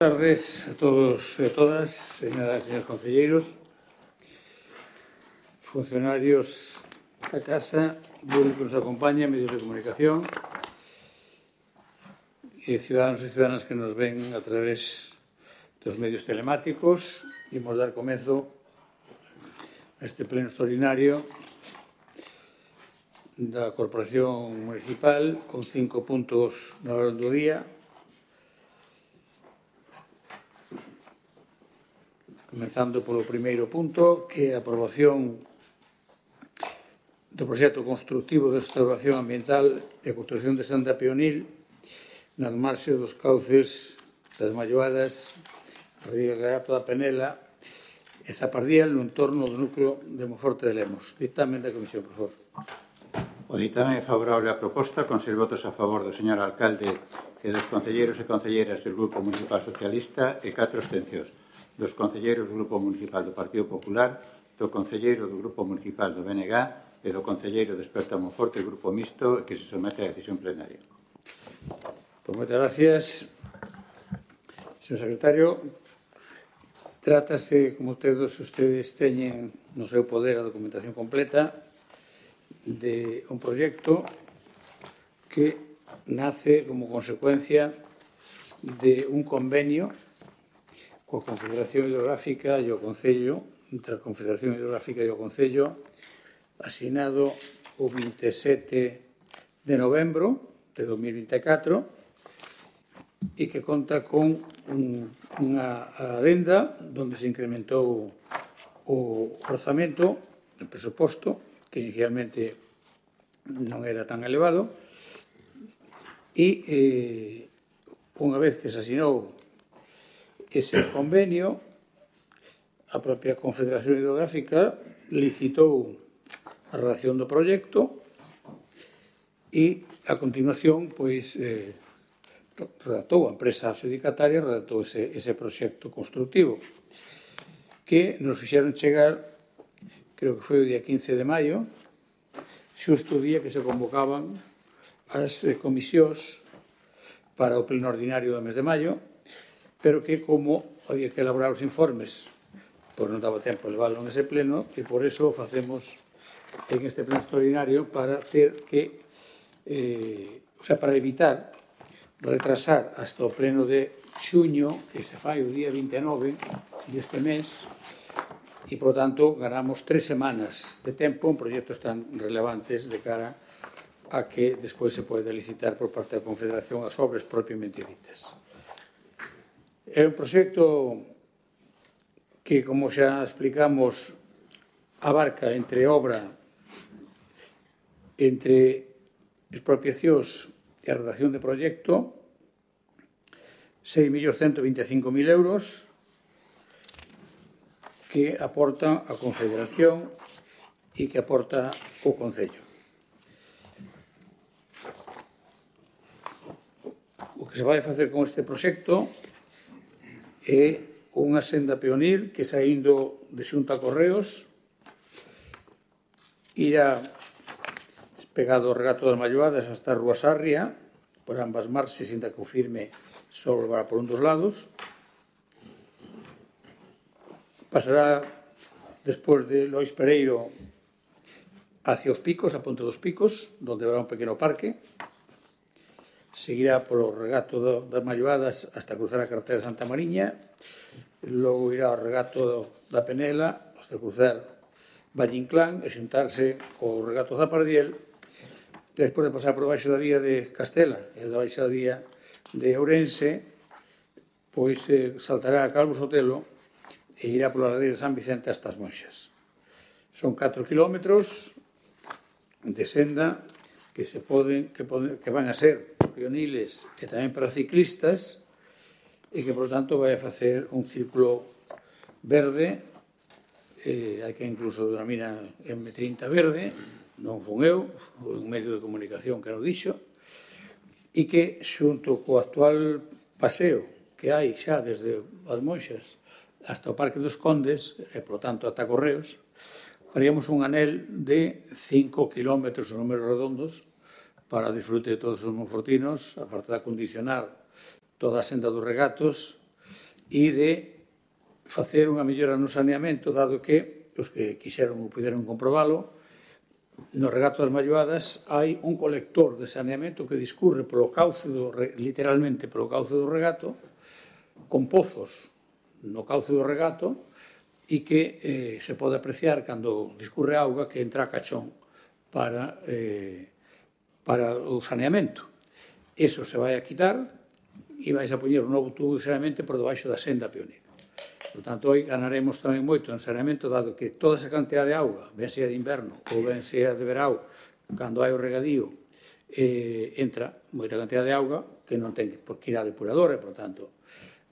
Buenas tardes a todos e a todas, señoras e señores concelleiros, funcionarios da Casa, público que nos acompaña, medios de comunicación e ciudadanos e ciudadanas que nos ven a través dos medios telemáticos. Imos dar comezo a este pleno extraordinario da Corporación Municipal con 5 puntos na orde do día. Comenzando polo primeiro punto, que é a aprobación do proxecto constructivo de restauración ambiental e construcción de Santa Peonil nas marxes dos cauces das Malloadas, Regato da Penela e Zapardiel no entorno do núcleo de Monforte de Lemos. Dictamen da Comisión, por favor. O dictamen é favorable á proposta, con 6 votos a favor do señor alcalde e dos concelleiros e concelleiras do Grupo Municipal Socialista e 4 abstencións. Dos concelleiros do Grupo Municipal do Partido Popular, do concelleiro do Grupo Municipal do BNG e do concelleiro de Esperta Monforte, Grupo Mixto, que se somete a decisión plenaria. Pues moitas gracias, señor secretario. Trátase, como todos ustedes teñen no seu poder a documentación completa, de un proxecto que nace como consecuencia de un convenio coa Confederación Hidrográfica e o Concello, entre a Confederación Hidrográfica e o Concello, asinado o 27 de novembro de 2024 e que conta con unha adenda onde se incrementou o orzamento, o presuposto, que inicialmente non era tan elevado, e unha vez que se asinou ese convenio, a propia Confederación Hidrográfica licitou a redacción do proxecto e, a continuación, pois, redactou a empresa adxudicataria, redactou ese proxecto constructivo que nos fixeron chegar, creo que foi o día 15 de maio, xusto o día que se convocaban as comisións para o pleno ordinario do mes de maio, pero que, como había que elaborar os informes, pois non daba tempo de levarlo nese pleno, e por eso o facemos en este pleno extraordinario para ter que, para evitar retrasar hasta o pleno de xuño, que se fai o día 29 deste mes, e, por tanto, ganamos 3 semanas de tempo en proxectos tan relevantes de cara a que despois se pode licitar por parte da Confederación as obras propiamente ditas. É un proxecto que, como xa explicamos, abarca entre obra, entre expropiacións e a redacción de proxecto, 6.125.000 euros que aporta a Confederación e que aporta o Concello. O que se vai facer con este proxecto é unha senda peonil que, saindo de Xunta a Correos, irá pegado ao regato das Malloadas hasta a Rúa Sarria, por ambas marxes, inda que o firme só volverá por un dos lados. Pasará despois de Lois Pereiro hacia os Picos, a Ponte dos Picos, onde habrá un pequeno parque. Seguirá polo regato das Malloadas hasta cruzar a carretera de Santa Mariña, logo irá ao regato da Penela hasta cruzar Valle Inclán e xuntarse co regato da Zapardiel, despois de pasar por baixo da vía de Castela e da baixo da vía de Ourense, pois saltará a Calvo Sotelo e irá pola ladeira de San Vicente hasta as Monxas. Son 4 kilómetros de senda que van a ser peoniles e tamén para ciclistas, e que, por tanto, vai a facer un círculo verde, hai que incluso denomina M30 verde, non fun eu, foi un medio de comunicación que nos dixo, e que, xunto co actual paseo que hai xa desde as Monxas hasta o Parque dos Condes, e, por tanto, ata Correos, faríamos un anel de 5 kilómetros, números redondos, para disfrute de todos os monfortinos, aparte de acondicionar toda a senda dos regatos e de facer unha mellora no saneamento, dado que os que quixeron ou puderon comprobalo, no regato das Malloadas hai un colector de saneamento que discurre polo cauce literalmente polo cauce do regato, con pozos no cauce do regato, e que se pode apreciar cando discurre auga que entra a cachón para o saneamento. Eso se vai a quitar e vais a poñer un novo tubo de saneamento por debaixo da senda peonil. Por tanto, hoy ganaremos tamén moito en saneamento, dado que toda esa cantidad de auga, ben sea de inverno ou ben sea de verao, cando hai o regadío, entra moita cantidad de auga que non ten por que ir á depuradora, e, por tanto,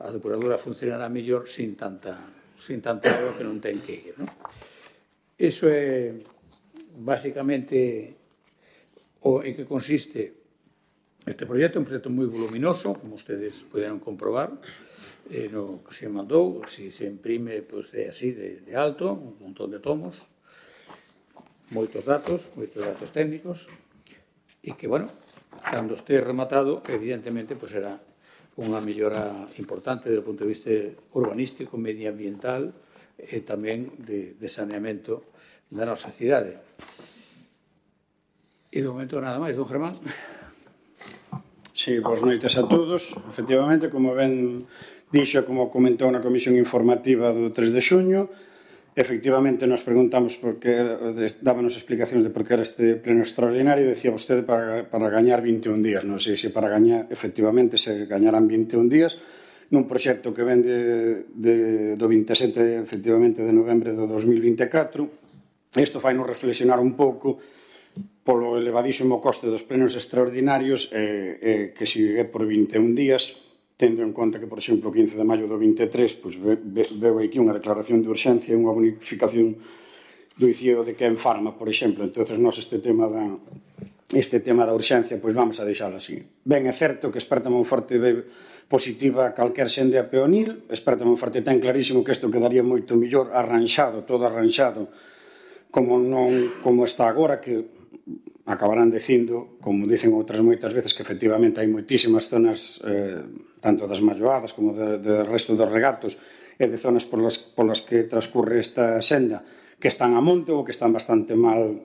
a depuradora funcionará mellor sin tanta agua que non ten que ir. Iso é basicamente en que consiste este proxecto. É un proxecto moi voluminoso, como ustedes poderon comprobar, no que se mandou, se imprime, é así de alto, un montón de tomos, moitos datos técnicos, e que, bueno, cando este rematado, evidentemente, será unha mellora importante desde o punto de vista urbanístico, medioambiental e tamén de saneamento da nosa cidade. E, de momento, nada máis, don Germán. Sí, boas noites a todos. Efectivamente, como ben dixo, como comentou na comisión informativa do 3 de xuño, efectivamente nos preguntamos dábanos explicacións de por que era este pleno extraordinario, e decía vostede para gañar 21 días. Non sei se para gañar, efectivamente, se gañarán 21 días nun proxecto que ven do 27, efectivamente, de novembro do 2024. Isto fai nos reflexionar un pouco polo elevadísimo coste dos plenos extraordinarios, que se é por 21 días, tendo en conta que, por exemplo, o 15 de maio do 23, veu aquí unha declaración de urxencia e unha bonificación do ICIO de Ken Pharma, por exemplo. Entón, nós este tema da urxencia, vamos a deixalo así. Ben, é certo que esperta moi forte positiva calquer xende a peonil, esperta moi forte, ten clarísimo que isto quedaría moito mellor arranxado, todo arranxado, como está agora, que acabarán dicindo, como dicen outras moitas veces, que efectivamente hai moitísimas zonas, tanto das Malloadas como do resto dos regatos, e de zonas polas que transcurre esta senda, que están a monte ou que están bastante mal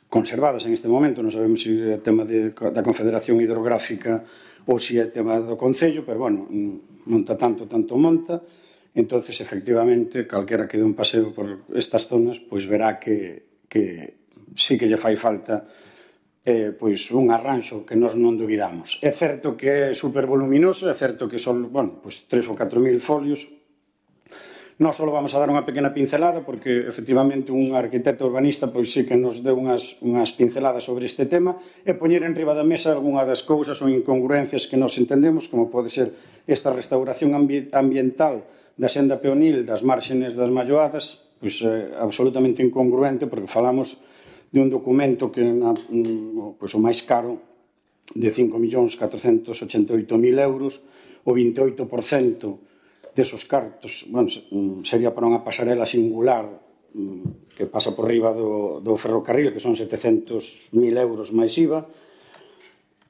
conservadas en este momento. Non sabemos se é tema da Confederación Hidrográfica ou se é tema do Concello, pero, bueno, monta tanto monta. Entonces, efectivamente, calquera que dé un paseo por estas zonas, verá que sí que lle fai falta un arranxo que nós non duvidamos. É certo que é supervoluminoso, é certo que son 3 ou 4 mil folios. Nós só vamos a dar unha pequena pincelada, porque efectivamente un arquitecto urbanista sí que nos deu unhas pinceladas sobre este tema, e poñer en riba da mesa algunha das cousas ou incongruencias que nós entendemos, como pode ser esta restauración ambiental da senda peonil das márgenes das Malloadas, absolutamente incongruente, porque falamos de un documento que o máis caro de 5.488.000 euros, o 28% desos cartos sería para unha pasarela singular que pasa por riba do ferrocarril, que son 700.000 euros máis IVA.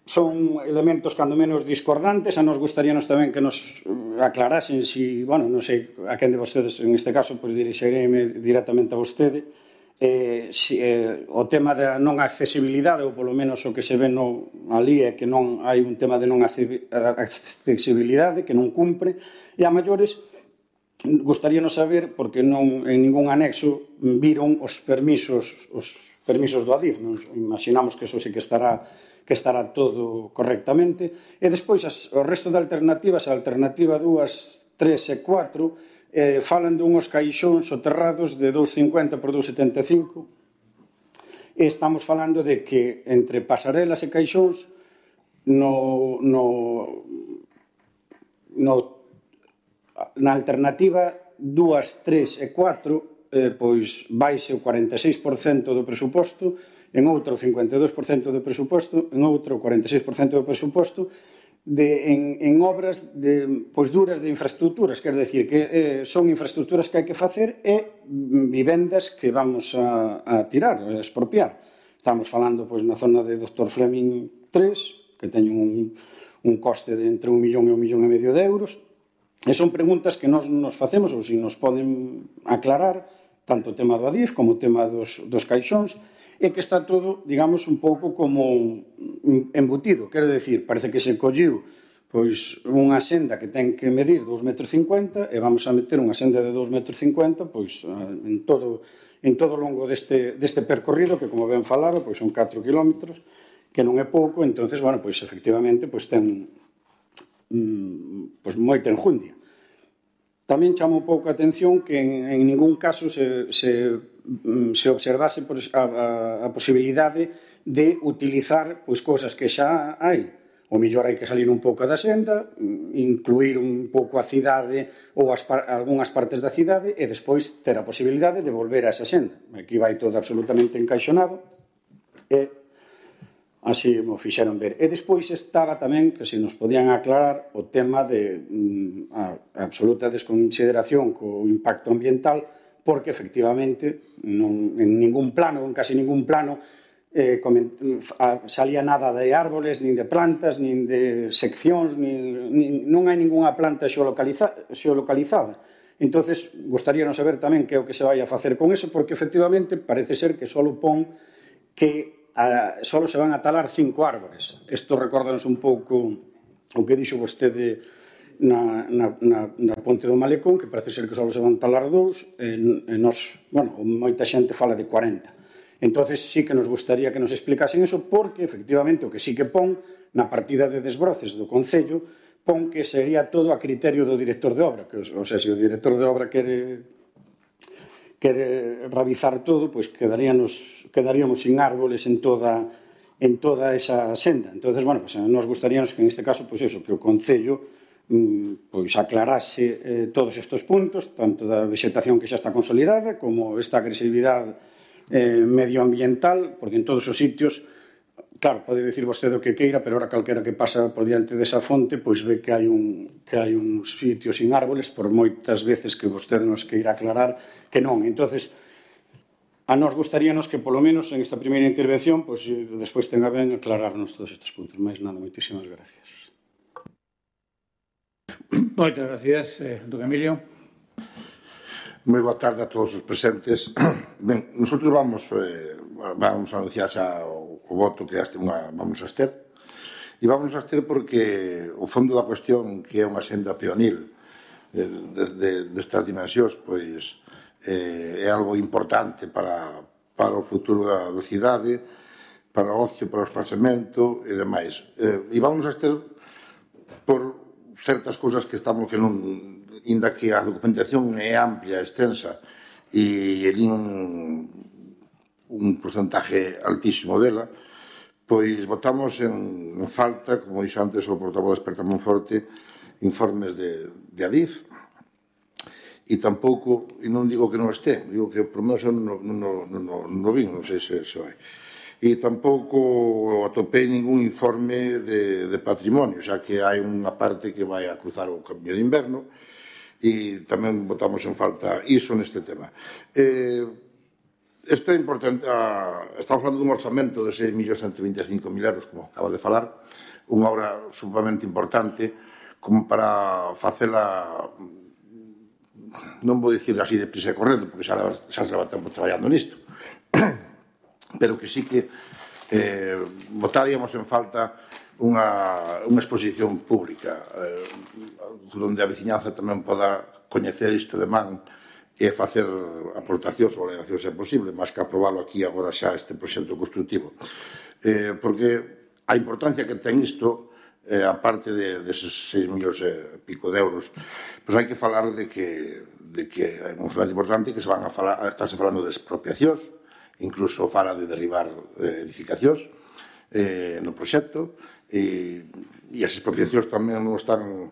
Son elementos cando menos discordantes. A nos gustaríanos tamén que nos aclarasen non sei a quen de vostedes, en este caso, dirixireme directamente a vostede, o tema da non accesibilidade, ou polo menos o que se ve ali é que non hai un tema de non accesibilidade, que non cumpre, e a maiores gustaríanos saber, porque non en ningún anexo viron os permisos do ADIF. Imaginamos que eso sí que estará todo correctamente. E despois o resto de alternativas, a alternativa 2, 3 e 4, falan dunhos caixóns soterrados de 2,50 por 2,75, e estamos falando de que entre pasarelas e caixóns na alternativa 2, 3 e 4 vaise o 46% do presuposto, en outro o 52% do presuposto, en outro o 46% do presuposto, en obras duras de infraestructuras, quer decir que son infraestructuras que hai que facer e vivendas que vamos a tirar, a expropiar. Estamos falando na zona de Dr. Fleming 3, que teñen un coste de entre 1 millón e 1,5 millón de euros, E son preguntas que nós nos facemos, ou se nos poden aclarar, tanto o tema do Adif como o tema dos caixóns, e que está todo, digamos, un pouco como embutido. Quero decir, parece que se colliu pois unha senda que ten que medir 2,50 m e vamos a meter unha senda de 2,50 m pois en todo o longo deste percorrido, que como ben falaba, pois son 4 kilómetros, que non é pouco. Entonces, bueno, pois efectivamente pois ten pois moita enjundia. Tamén chama un pouco a atención que en ningún caso se observase a posibilidade de utilizar pois cousas que xa hai. O mellor hai que salir un pouco da senda, incluir un pouco a cidade ou algunhas partes da cidade e despois ter a posibilidade de volver a esa senda. Aquí vai todo absolutamente encaixonado e así mo fixeron ver. E despois estaba tamén, que se nos podían aclarar, o tema de a absoluta desconsideración co impacto ambiental, porque efectivamente en ningún plano, en casi ningún plano, salía nada de árboles, nin de plantas, nin de seccións, non hai ningunha planta xeolocalizada. Entonces, gostaríanos saber tamén que é o que se vai a facer con eso, porque efectivamente parece ser que só pon que só se van a talar 5 árbores. Isto recórdanos un pouco o que dixo vostede na Ponte do Malecón, que parece ser que só se van talar 2, e nos, bueno, moita xente fala de 40. Entonces sí que nos gustaría que nos explicasen eso, porque efectivamente o que sí que pon na partida de desbroces do Concello pon que sería todo a criterio do director de obra, que, o sea, se o director de obra quere realizar todo, pois quedaríamos sin árboles en toda esa senda. Entonces, bueno, pues nos gustaríamos que en este caso, pois eso, que o Concello pois aclarase todos estes puntos, tanto da vegetación que xa está consolidada como esta agresividade medioambiental, porque en todos os sitios, claro, pode dicir vostede o que queira, pero ahora calquera que pasa por diante desa fonte, pois ve que hai uns sitios sin árboles, por moitas veces que vostede nos queira aclarar que non. Entonces, a nos gustaríanos que, polo menos, en esta primeira intervención, pois despois tenga ben aclararnos todos estes puntos. Mais nada, moitísimas gracias. Moitas gracias, don Emilio. Moi boa tarde a todos os presentes. Ben, nosotros vamos a anunciar xa o voto que vamos a ter. E vamos a ter porque o fondo da cuestión, que é unha senda peonil destas dimensións, pois é algo importante para o futuro da cidade, para o ocio, para o espazamento e demais. E vamos a ter por certas cousas que non, inda que a documentación é amplia, extensa, e un porcentaje altísimo dela, pois votamos en falta, como dixo antes o portavoz experta Monforte, informes de Adif, e tampouco, e non digo que non este, digo que por menos non vin, non sei se hai. E tampouco atopei ningún informe de patrimonio, xa que hai unha parte que vai a cruzar o cambio de inverno, e tamén votamos en falta iso neste tema. Isto é importante, estamos falando dun orzamento de 6.125.000 euros, como acaba de falar, unha obra sumamente importante, como para facela, non vou dicir así de prisa e correndo, porque xa se leva tempo traballando nisto, pero que sí que votaríamos en falta unha exposición pública onde a veciñanza tamén poda coñecer isto de man e facer aportacións ou alegacións se é posible, máis que aprobarlo aquí agora xa este proxecto constructivo, porque a importancia que ten isto, aparte deses 6 millóns e pico de euros, pois hai que falar de que é un momento importante que estáse falando de expropiacións, incluso fala de derribar edificacións no proxecto, e as expropiacións tamén non están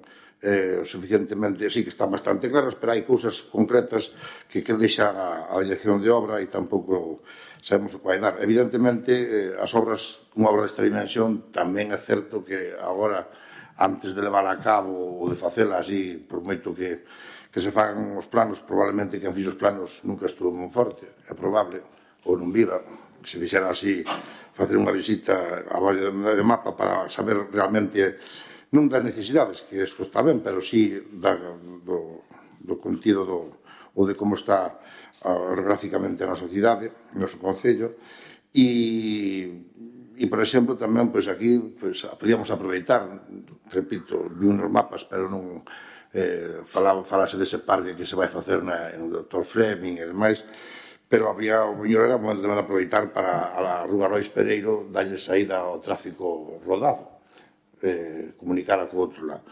suficientemente, sí que están bastante claras, pero hai cousas concretas que deixa a dirección de obra e tampouco sabemos o que vai dar. Evidentemente, as obras, unha obra desta dimensión, tamén é certo que agora, antes de levar a cabo ou de facela así, por moito que se fagan os planos, probablemente quen fixo os planos nunca estuvo moi forte, é probable, ou non viva, se fixera así, facer unha visita a Valle de Mapa para saber realmente non das necesidades, que isto está ben, pero sí do contido ou de como está orográficamente na sociedade, no noso concello, e por exemplo, tamén, pois aquí, podíamos aproveitar, repito, vi uns mapas, pero non falase dese parque que se vai facer no Dr. Fleming e demais, pero había, o mellor era o momento de aproveitar para a Rúa Rois Pereiro darlle saída ao tráfico rodado, comunicar co outro lado.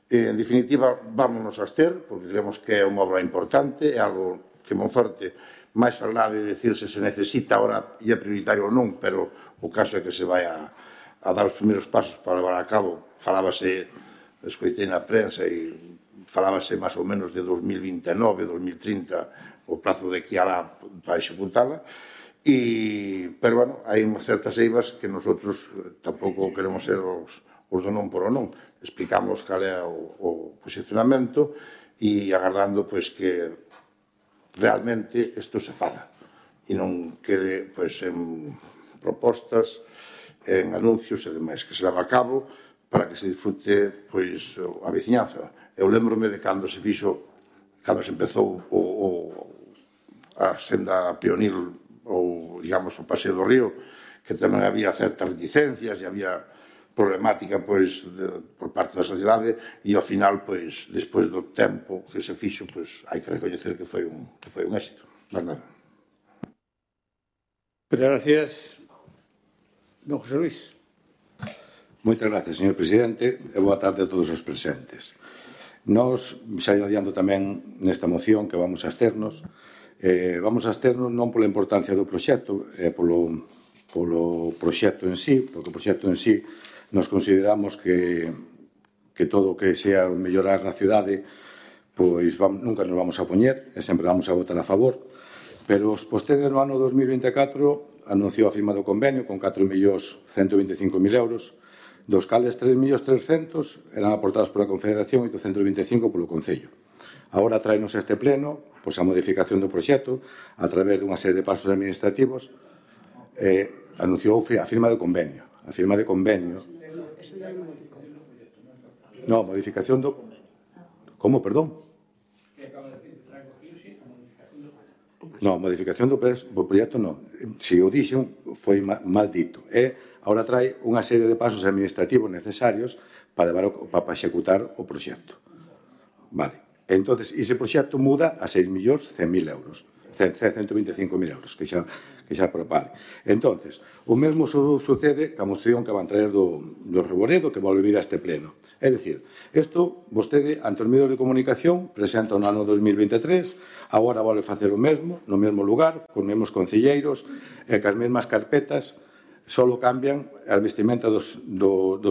En definitiva, vámonos a abster, porque creemos que é unha obra importante, é algo que Monforte, máis alá de decirse se necesita ahora e é prioritario ou non, pero o caso é que se vai a dar os primeiros pasos para levar a cabo. Falábase, escoitei na prensa e falábase máis ou menos de 2029, 2030, o plazo de aquí alá para executala, pero, bueno, hai unhas certas eivas que nosotros tampouco queremos ser os do non por o non. Explicamos cal é o posicionamento e agardando, pois, que realmente isto se faga e non quede, pois, en propostas, en anuncios e demais, que se leva a cabo para que se disfrute, pois, a veciñanza. Eu lembrome de cando se fixo, cando se empezou a senda pionil ou, digamos, o Paseo do Río, que tamén había certas reticencias e había problemática, pois, por parte da sociedade, e ao final, pois, despois do tempo que se fixo, pois, hai que recoñecer que foi un éxito. Mas nada. Gracias. Don José Luis. Moitas gracias, señor presidente, e boa tarde a todos os presentes. Nós, xa adiando tamén nesta moción que vamos a absternos non pola importancia do proxecto, polo proxecto en sí, porque o proxecto en sí nos consideramos que todo o que sea mellorar na cidade, pois nunca nos vamos a poñer e sempre vamos a votar a favor, pero vostede no ano 2024 anunciou a firma do convenio con 4.125.000 euros, dos cales 3.300.000 eran aportados pola Confederación e 825 polo Concello. Agora traenos este pleno, pois a modificación do proxecto a través dunha serie de pasos administrativos, anunciou a firma do convenio. A firma de convenio. No, modificación do... Como, perdón? No, modificación do proxecto non. Se o dixen, foi mal dito. Agora trae unha serie de pasos administrativos necesarios para executar o proxecto. Vale. Entón, ese proxecto muda a 6.100.000 euros. 125.000 euros, que xa propale. Entón, o mesmo sucede ca moción que van traer do Reboredo, que volve vir a este pleno. É dicir, isto, vostede, ante os medios de comunicación, presenta no ano 2023, agora volve facer o mesmo, no mesmo lugar, con os mesmos concelleiros, e cas mesmas carpetas, só cambian a vestimenta dos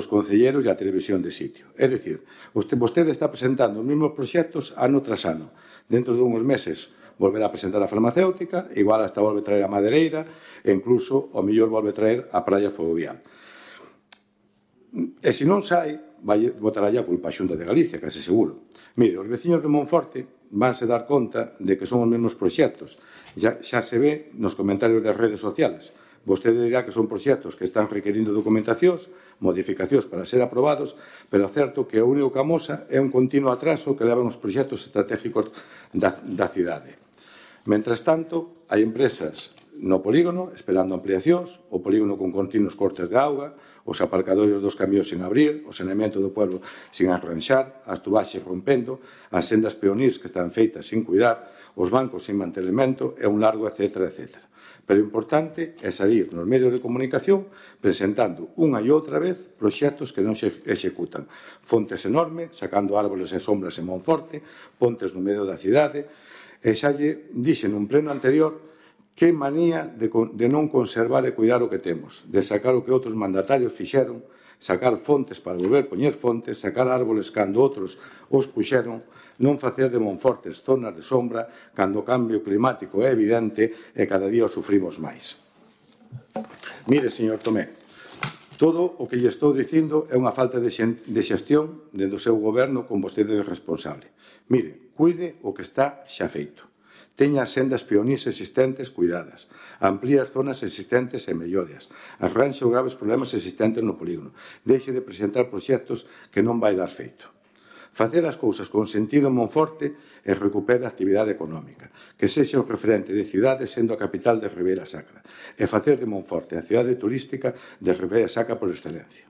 concelleiros e a televisión de sitio. É dicir, vostede está presentando os mesmos proxectos ano tras ano. Dentro de uns meses volverá a presentar a farmacéutica, igual hasta volve a traer a madereira e incluso o mellor volve a traer a praia fluvial. E se non sai, botará a culpa a Xunta de Galicia, case seguro. Mire, os veciños de Monforte vanse dar conta de que son os mesmos proxectos. Xa se ve nos comentarios das redes sociales. Vostede dirá que son proxectos que están requerindo documentacións, modificacións para ser aprobados, pero é certo que o único que amosa é un continuo atraso que levan os proxectos estratégicos da cidade. Mentres tanto, hai empresas no polígono esperando ampliacións, o polígono con continuos cortes de auga, os aparcadores dos camións sin abrir, o saneamento do pueblo sin arranxar, as tubaxes rompendo, as sendas peonís que están feitas sin cuidar, os bancos sin mantelemento e un largo etcétera, etcétera. Pero o importante é salir nos medios de comunicación presentando unha e outra vez proxectos que non se executan. Fontes enormes, sacando árboles e sombras en Monforte, pontes no medio da cidade, e xa lle dixen nun pleno anterior que manía de non conservar e cuidar o que temos, de sacar o que outros mandatarios fixeron, sacar fontes para volver poñer fontes, sacar árboles cando outros os puxeron, non facer de Monfortes zonas de sombra cando o cambio climático é evidente e cada día o sufrimos máis. Mire, señor Tomé, todo o que lle estou dicindo é unha falta de xestión dentro do seu goberno con vostede de responsable. Mire, cuide o que está xa feito. Teña as sendas peonís existentes cuidadas, amplíe as zonas existentes e mellorias, arranxe os graves problemas existentes no polígono, deixe de presentar proxectos que non vai dar feito. Facer as cousas con sentido en Monforte e recupera a actividade económica, que sexa un referente de cidade sendo a capital de Ribeira Sacra, e facer de Monforte a cidade turística de Ribeira Sacra por excelencia.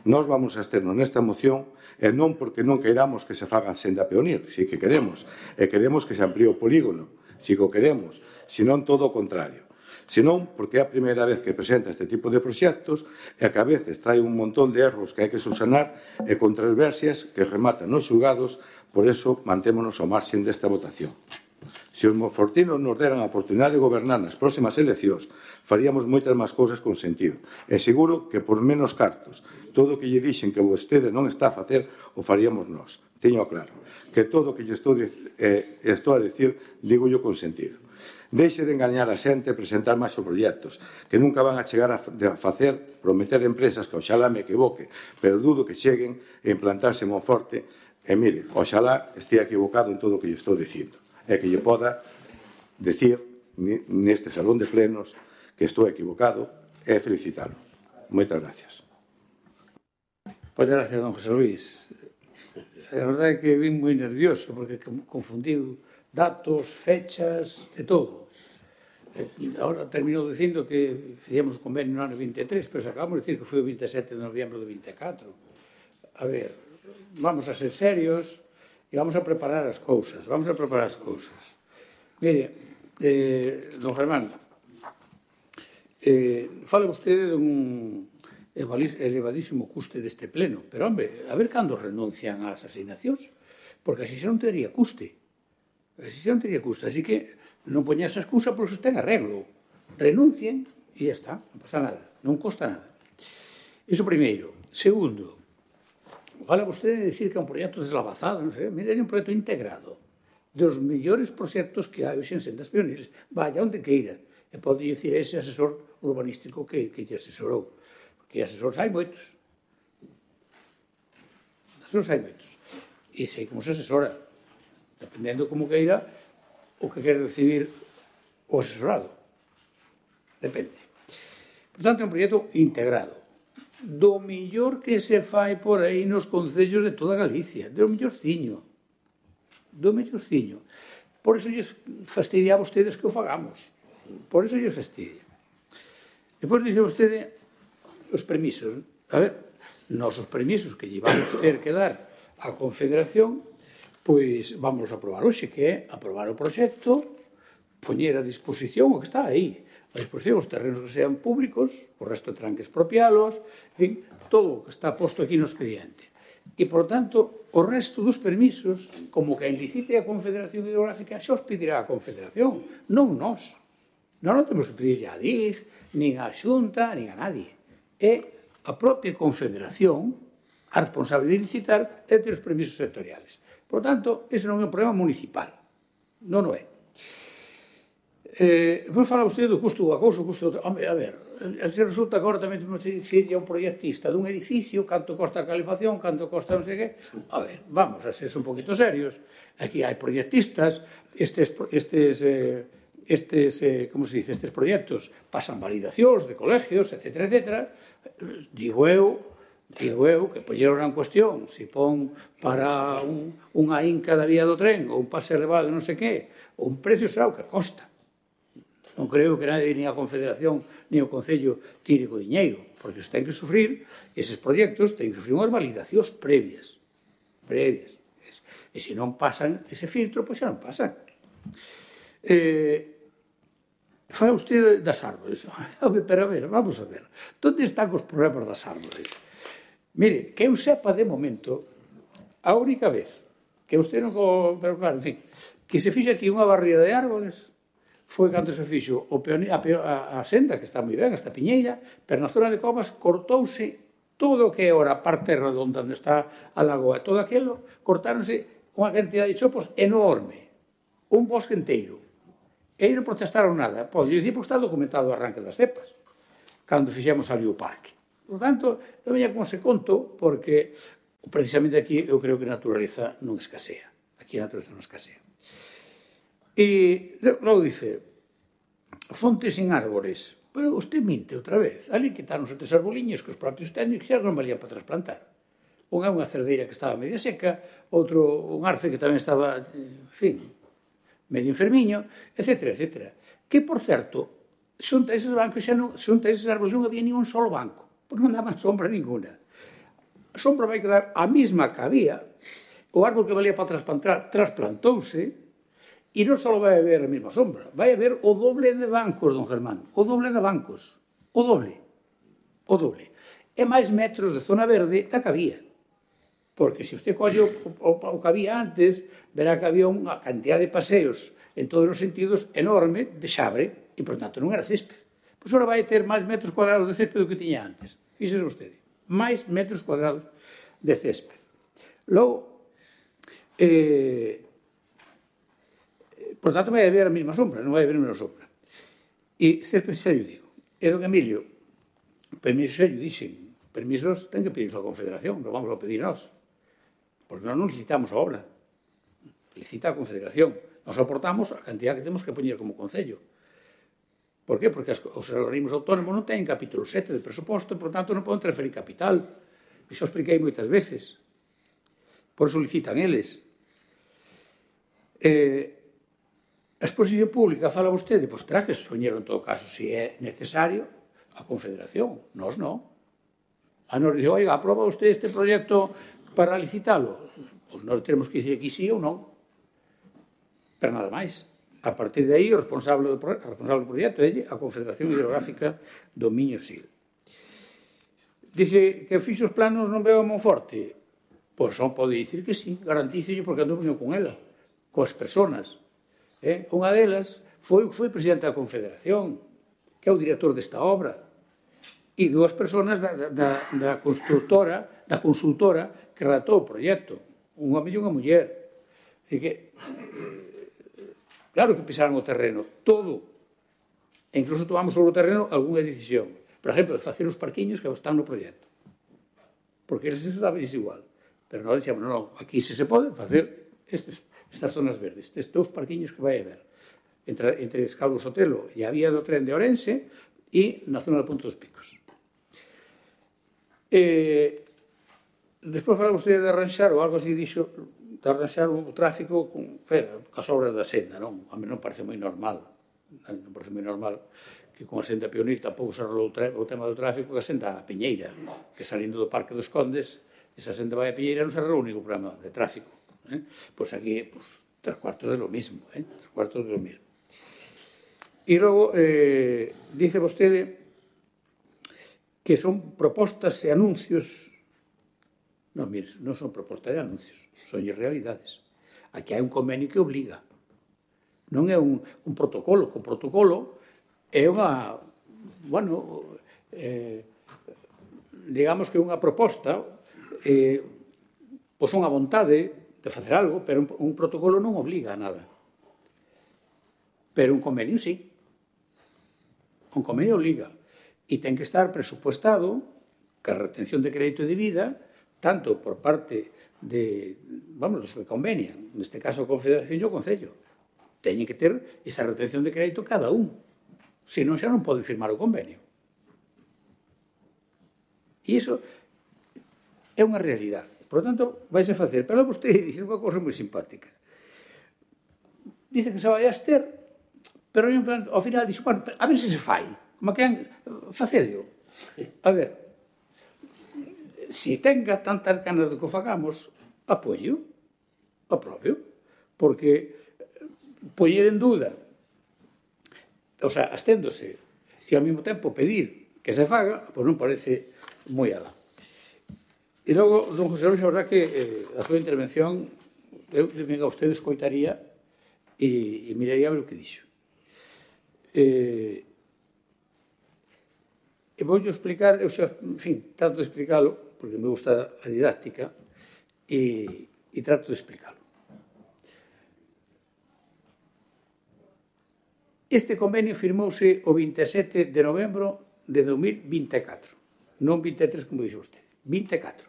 Nós vamos a absternos nesta moción e non porque non queiramos que se faga a senda peonil, si que queremos, e queremos que se amplíe o polígono, si que o queremos, senón todo o contrario. Senón porque é a primeira vez que presenta este tipo de proxectos e que a veces trae un montón de erros que hai que subsanar e controversias que rematan nos xulgados, por eso mantémonos ao marxen desta votación. Se os monfortinos nos deran a oportunidade de gobernar nas próximas eleccións, faríamos moitas máis cousas con sentido. E seguro que por menos cartos, todo o que lle dixen que vostede non está a facer, o faríamos nós. Teño claro que todo o que lle estou a decir, digo yo con sentido. Deixe de engañar a xente e presentar máis proxectos, que nunca van a chegar a facer, prometer empresas que oxalá me equivoque, pero dudo que cheguen a implantarse en Monforte, e mire, oxalá estea equivocado en todo o que lle estou dicindo, e que lle poda decir neste salón de plenos que estou equivocado e felicitalo. Moitas gracias. Moitas gracias, don José Luis. A verdade é que vim moi nervioso, porque confundiu datos, fechas, de todo. Ahora terminou dicindo que fizemos o convenio no ano 23, pero acabamos de decir que foi o 27 de novembro do 24. A ver, vamos a ser serios e vamos a preparar as cousas. Mire, don Germán, fala vostede dun elevadísimo custe deste pleno, pero, hombre, a ver cando renuncian ás asignacións, porque así xa non teria custe. Así que non poña esa excusa porque ten arreglo. Renuncien e ya está, non pasa nada, non costa nada. Iso primeiro. Segundo, fala vostede de decir que é un proxecto deslavazado, non sei, mire, é un proxecto integrado dos mellores proxectos que hai hoxe en sendas peoniles. Vaya onde queira. E pode dicir ese asesor urbanístico que lle asesorou. Porque asesores hai moitos. E sei como se asesora. Dependendo como queira o que quere recibir o asesorado. Depende. Por tanto, é un proxecto integrado. Do millor que se fai por aí nos concellos de toda Galicia. Do millorciño. Por iso lles fastidia a vostedes que o fagamos. Por iso lles fastidia. Depois dice vostede os permisos. A ver, nos os permisos que lle vamos ter que dar á Confederación, pois vamos a aprobar hoxe, que é aprobar o proxecto, poñer a disposición o que está aí, a disposición os terrenos que sean públicos, o resto terán que expropialos, en fin, todo o que está posto aquí no expediente. E, por tanto, o resto dos permisos, como que licite a Confederación Hidrográfica, xa os pedirá a Confederación, non nós. Nós non temos que pedirle a DIZ, nin a Xunta, nin a nadie. É a propia Confederación a responsable de licitar e ter os permisos sectoriales. Por tanto, ese non é un problema municipal. Non o é. Depois fala vostede do custo do cousa, o custo do... Hombre, a ver, se resulta que agora tamén temos que decir a un proyectista dun edificio, canto costa a calefacción, canto costa non sei que... A ver, vamos a ser un poquito serios. Aquí hai proyectistas, como se dice, estes proxectos pasan validacións de colegios, etc. Digo eu que poñeron en cuestión se pon para unha inca da vía do tren ou un pase elevado non sei que, ou un precio será o que costa. Non creo que nadie, ni a Confederación ni o Concello tire co diñeiro, porque se ten que sufrir, eses proxectos ten que sufrir unhas validacións previas. E se non pasan ese filtro, pois xa non pasan. Fala usted das árbores. Pero a ver, vamos a ver. Onde están os problemas das árbores? Mire, que eu sepa de momento, a única vez que usted non... Pero claro, en fin, que se fixe aquí unha barriga de árbores foi cando se fixo a senda, que está moi ben, esta piñeira, pero na zona de Covas cortouse todo o que é ora a parte redonda onde está a lagoa, todo aquilo, cortáronse unha cantidad de chopos enorme, un bosque inteiro. E aí non protestaron nada. Pode dicir porque está documentado o arranque das cepas, cando fixemos ali o parque. Por tanto, non veña con se conto, porque precisamente aquí eu creo que a naturaleza non escasea. Aquí a naturaleza non escasea. E logo dice, fontes sin árbores. Pero usted minte outra vez. Ali quitáronse 3 arboliños que os propios técnicos xa non valían para trasplantar. Unha é unha cerdeira que estaba media seca, outro un arce que tamén estaba, en fin, medio enfermiño, etc., etc. Que, por certo, xunta eses bancos xa non, xunta eses árboles non había ni un solo banco, porque non daban sombra ninguna. A sombra vai quedar a mesma que había, o árbol que valía para trasplantar trasplantouse, e non só vai haber a mesma sombra, vai haber o doble de bancos, don Germán, o doble de bancos, o doble. E máis metros de zona verde da que había. Porque se usted colle o que había antes, verá que había unha cantidad de paseos en todos os sentidos enorme de xabre, e, por tanto, non era césped. Pois agora vai ter máis metros cuadrados de césped do que tiña antes. Fíxese vostede. Máis metros cuadrados de césped. Logo, por tanto, vai haber a mesma sombra, non vai haber a mesma sombra. E césped xa lle digo. E, don Emilio, permisos xa lle dixen. Permisos ten que pedir a Confederación, non vamos a pedir nós. Porque nós non licitamos a obra. Licita a Confederación. Nos aportamos a cantidad que temos que poñer como Concello. Por qué? Porque os organismos autónomos non teñen capítulo 7 de presuposto e, por tanto, non poden transferir capital. Iso expliquei moitas veces. Por iso licitan eles. A exposición pública, fala vostede, pois terá que expoñer en todo caso, se é necesario, a Confederación. Nós non. A nos dice, oiga, aproba usted este proxecto para licitalo? Pois nós temos que dicir que sí ou non. Pero nada máis. A partir de aí, o responsable do proxecto é a Confederación Hidrográfica do Miño-Sil. Dice que fixo os planos non veo a Monforte. Pois non pode dicir que sí, garantícelle porque ando viño con ela, coas personas. Unha delas foi presidente da Confederación, que é o director desta obra, e dúas persoas da constructora, da consultora que redactou o proxecto, un home e unha muller. Así que, claro que pisaron o terreno, todo. E incluso tomamos sobre o terreno algunha decisión. Por exemplo, de facer os parquiños que están no proxecto. Porque eles eso daba igual. Pero nós dixemos, non, aquí se pode facer estas zonas verdes, estes dous parquiños que vai haber entre Escaldo Sotelo e a vía do tren de Ourense e na zona do Punto dos Picos. Despois fala vostede de arranxar ou algo así dixo, de arranxar o tráfico cas obras da senda, non? A mí non parece moi normal, non parece moi normal que con a senda Pionir tampouco se arreglou o tema do tráfico que a senda a Piñeira, que salindo do Parque dos Condes, esa senda vai a Piñeira non se arreglou ningún problema de tráfico. Pois aquí, 3/4 de lo mismo, 3/4 de lo mismo. E logo, dice vostede que son propostas e anuncios. Non, mire, non son propostas e anuncios, son realidades. Aquí hai un convenio que obliga. Non é un protocolo, que o protocolo é unha, bueno, digamos que unha proposta, pois unha vontade de facer algo, pero un protocolo non obliga a nada. Pero un convenio sí. Un convenio obliga. E ten que estar presupuestado que a retención de crédito de vida, tanto por parte de, vamos, dos que convenian, neste caso a Confederación e o Concello, teñen que ter esa retención de crédito cada un. Senón xa non poden firmar o convenio. E iso é unha realidade. Por lo tanto, vais a facer. Pero vostede dice unha cousa moi simpática. Dice que se vai a ester, pero ao final dixe, bueno, a ver se se fai. Como que facedio. A ver, se tenga tantas ganas de que o fagamos, apoio, apropio, porque poñer en dúda, o sea, asténdose, e ao mesmo tempo pedir que se faga, pois non parece moi alá. E logo, don José Luis, a verdad que a súa intervención, eu a usted escoitaría e miraría a ver o que dixo. E vou explicar, eu xa, en fin, trato de explicarlo, porque me gusta a didáctica, e trato de explicarlo. Este convenio firmouse o 27 de novembro de 2024, non 23, como dixo usted, 24.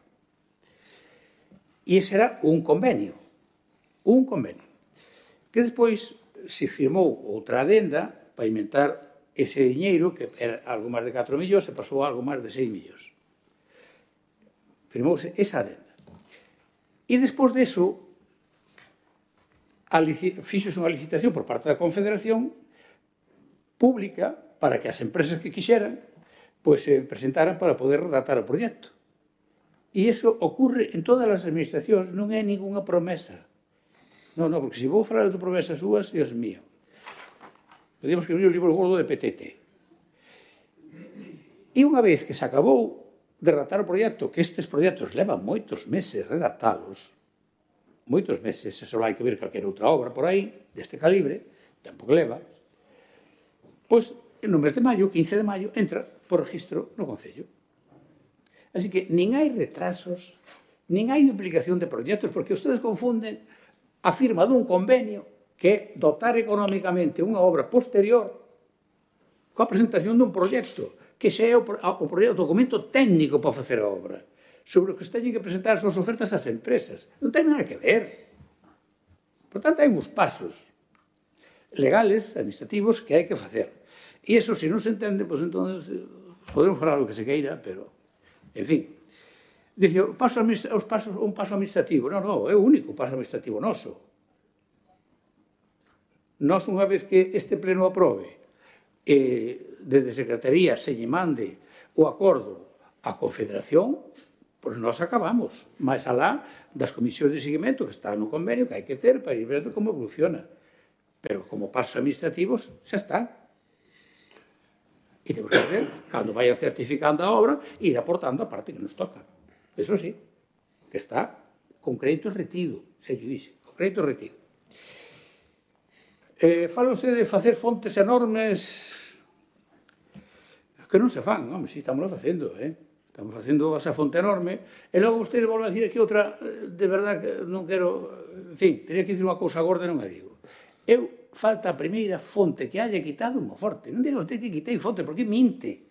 E ese era un convenio, que despois se firmou outra adenda para inventar ese diñeiro, que era algo máis de 4 millóns, e pasou a algo máis de 6 millóns. Firmouse esa adenda. E despois deso, fixose unha licitación por parte da Confederación pública para que as empresas que quixeran se presentaran para poder redactar o proxecto. E iso ocurre en todas as administracións, non é ninguna promesa. Non, porque se vou falar de promesas súas, Dios mío, podíamos escribir un libro gordo de PTT. E unha vez que se acabou de redactar o proxecto, que estes proxectos levan moitos meses redactalos, moitos meses, se só hai que ver calquera outra obra por aí, deste calibre, tempo que leva, pois, no mes de maio, 15 de maio, entra por registro no Concello. Así que nin hai retrasos, nin hai duplicación de proxectos, porque ustedes confunden a firma dun convenio que é dotar económicamente unha obra posterior coa presentación dun proxecto, que xa é o documento técnico para facer a obra, sobre o que se teñen que presentar as súas ofertas ás empresas. Non ten nada que ver. Por tanto, hai uns pasos legales, administrativos, que hai que facer. E iso, se non se entende, pois entón podemos falar o que se queira, pero, en fin. Dice, un paso administrativo. Non, é o único paso administrativo noso. Nós, unha vez que este pleno aprobe, desde Secretaría se lle mande o acordo á Confederación, pois nós acabamos. Mais alá das comisións de seguimento que están no convenio que hai que ter para ir vendo como evoluciona. Pero como pasos administrativos, xa está. E temos que ver, cando vayan certificando a obra, ir aportando a parte que nos toca. Eso sí, que está con crédito retido, se lle dixe, con crédito retido. Fala usted de facer fontes enormes que non se fan, home, si, estamos facendo, estamos facendo esa fonte enorme, e logo usted volve a dicir aquí outra, de verdad, que non quero, en fin, teria que dicir unha cousa gorda e non a digo. Falta a primeira fonte que haya quitado un Monforte. Non diga usted que quitei fonte, porque minte.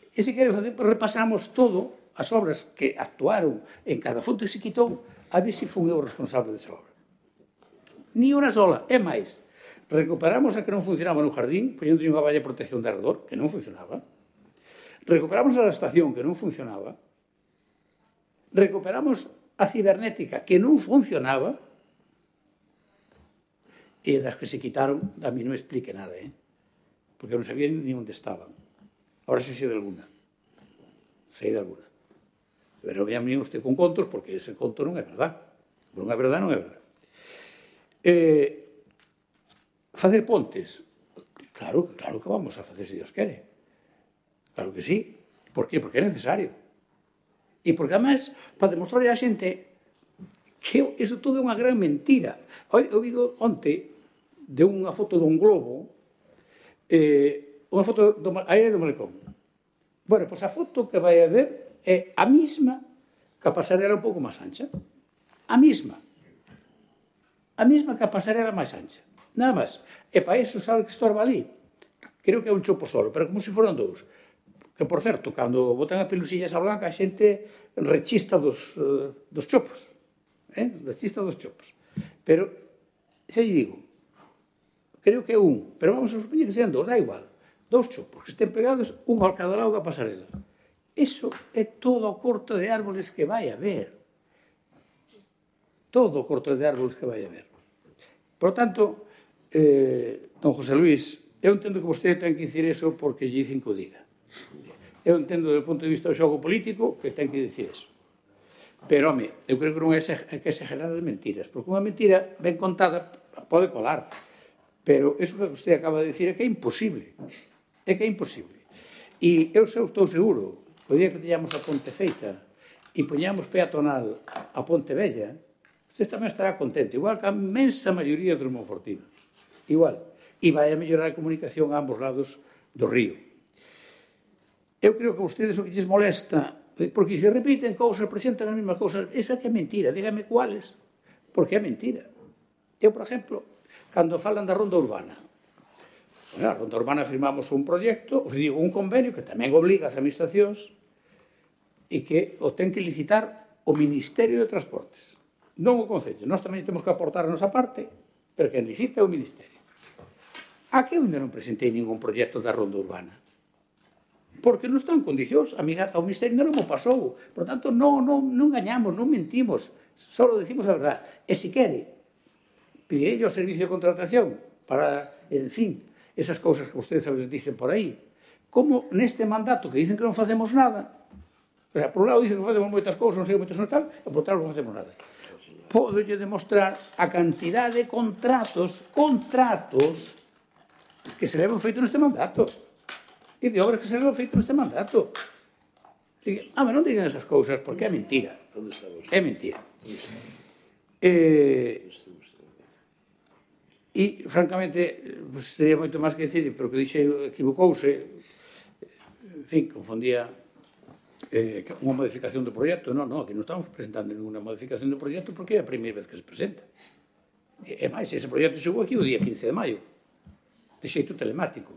E se quere facer, repasamos todo as obras que actuaron en cada fonte que se quitou, a ver se fun eu responsable desa obra. Ni unha sola, é máis. Recuperamos a que non funcionaba no jardín, poñendo unha valla de protección de arredor, que non funcionaba. Recuperamos a estación, que non funcionaba. Recuperamos a cibernética, que non funcionaba. E das que se quitaron, a mí non me explique nada, porque non sabía ni onde estaban. Ahora sei de alguna. Sei de alguna. Pero vean usted con contos, porque ese conto non é verdad. Non é verdad, non é verdad. Facer pontes. Claro que vamos a facer, se Dios quere. Claro que sí. Por qué? Porque é necesario. E porque, además, para demostrar a xente que iso todo é unha gran mentira. Eu digo onte de unha foto dun globo, unha foto do aire do Malecón. Bueno, pois a foto que vai a ver é a mesma que a pasarela un pouco máis ancha. A mesma. A mesma que a pasarela máis ancha. Nada máis. E para iso, sabe que estorba ali? Creo que é un chopo solo, pero como se foran dous. Que, por certo, cando botan as pelusillas a blanca, a xente rechista dos chopos. Rechista dos chopos. Pero, xa lle digo, creo que é un, pero vamos a supoñer que sean dous, dá igual. Dous chopos que estén pegados, un ao cada lado da pasarela. Iso é todo o corto de árboles que vai haber. Todo o corto de árboles que vai haber. Por tanto, don José Luís, eu entendo que vostede ten que dicir eso porque lle dicen que o diga. Eu entendo, do ponto de vista do xogo político, que ten que dicir eso. Pero, home, eu creo que non é que exagerar as mentiras, porque unha mentira ben contada pode colar. Pero eso que vostede acaba de dicir é que é imposible. É que é imposible. E eu estou seguro que o día que teñamos a ponte feita e poñamos peatonal a Ponte Vella, usted tamén estará contento, igual que a inmensa maioría dos monfortinos. Igual. E vai a mellorar a comunicación a ambos lados do río. Eu creo que a vostedes o que lles molesta, porque se repiten cousas, presentan as mesmas cousas, iso é que é mentira, dígame cuáles, porque é mentira. Eu, por exemplo, cando falan da ronda urbana, a ronda urbana firmamos un proxecto, digo, un convenio que tamén obliga as administracións e que o ten que licitar o Ministerio de Transportes, non o Concello. Nós tamén temos que aportar a nosa parte pero quen licita é o Ministerio. A que eu ainda non presentei ningún proxecto da ronda urbana? Porque non está en condicións, o Ministerio non o pasou. Por tanto, non gañamos, non mentimos, só decimos a verdade. E se quere, pedirei ao servicio de contratación para, en fin, esas cousas que ustedes a veces dicen por aí. Como neste mandato que dicen que non facemos nada, o sea, por un lado dicen que facemos moitas cousas, non sei moitas non tal, e por outro lado non facemos nada. Podolle demostrar a cantidade de contratos que se levan feito neste mandato e de obras que se levan feito neste mandato. Así que, non digan esas cousas porque é mentira. É mentira. E, francamente, pues, teria moito máis que decir, pero que dixe equivocouse, en fin, confundía unha modificación do proxecto. Non, que non estamos presentando ninguna modificación do proxecto porque é a primeira vez que se presenta. E máis, ese proxecto chegou aquí o día 15 de maio, de xeito telemático.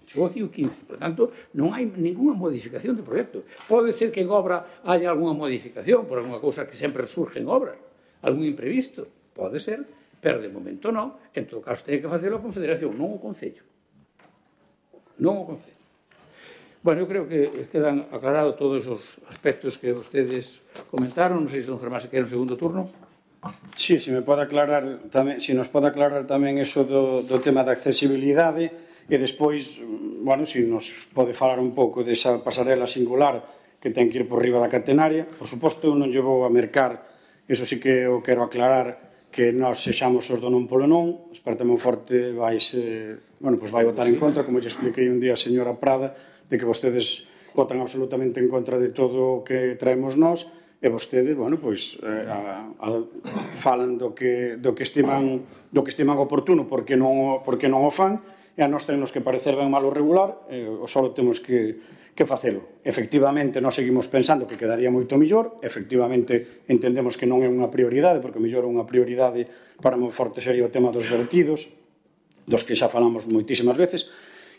Chegou aquí o 15, por tanto, non hai ninguna modificación do proxecto. Pode ser que en obra haya algunha modificación por alguna cousa que sempre surge en obra, algún imprevisto, pode ser, pero de momento non. En todo caso, ten que facelo a Confederación, non o Concello. Non o Concello. Bueno, eu creo que quedan aclarados todos os aspectos que vostedes comentaron. Non sei se don Germán se quere un segundo turno. Sí, se me pode aclarar tamén, se nos pode aclarar tamén eso do tema da accesibilidade e despois, bueno, se nos pode falar un pouco desa pasarela singular que ten que ir por riba da catenaria. Por suposto, eu non lle vou a mercar, eso sí que eu quero aclarar, que nós sexamos os do non polo non. Esparte Monforte vai votar en contra, como lle expliquei un día a señora Prada, de que vostedes votan absolutamente en contra de todo o que traemos nós, e vostedes, bueno, pois falan do que estiman oportuno porque non o fan, e a nós tenemos que parecer ben malo regular, ou só temos que facelo. Efectivamente, nós seguimos pensando que quedaría moito mellor, efectivamente entendemos que non é unha prioridade, porque mellor unha prioridade para Monforte sería o tema dos vertidos, dos que xa falamos moitísimas veces.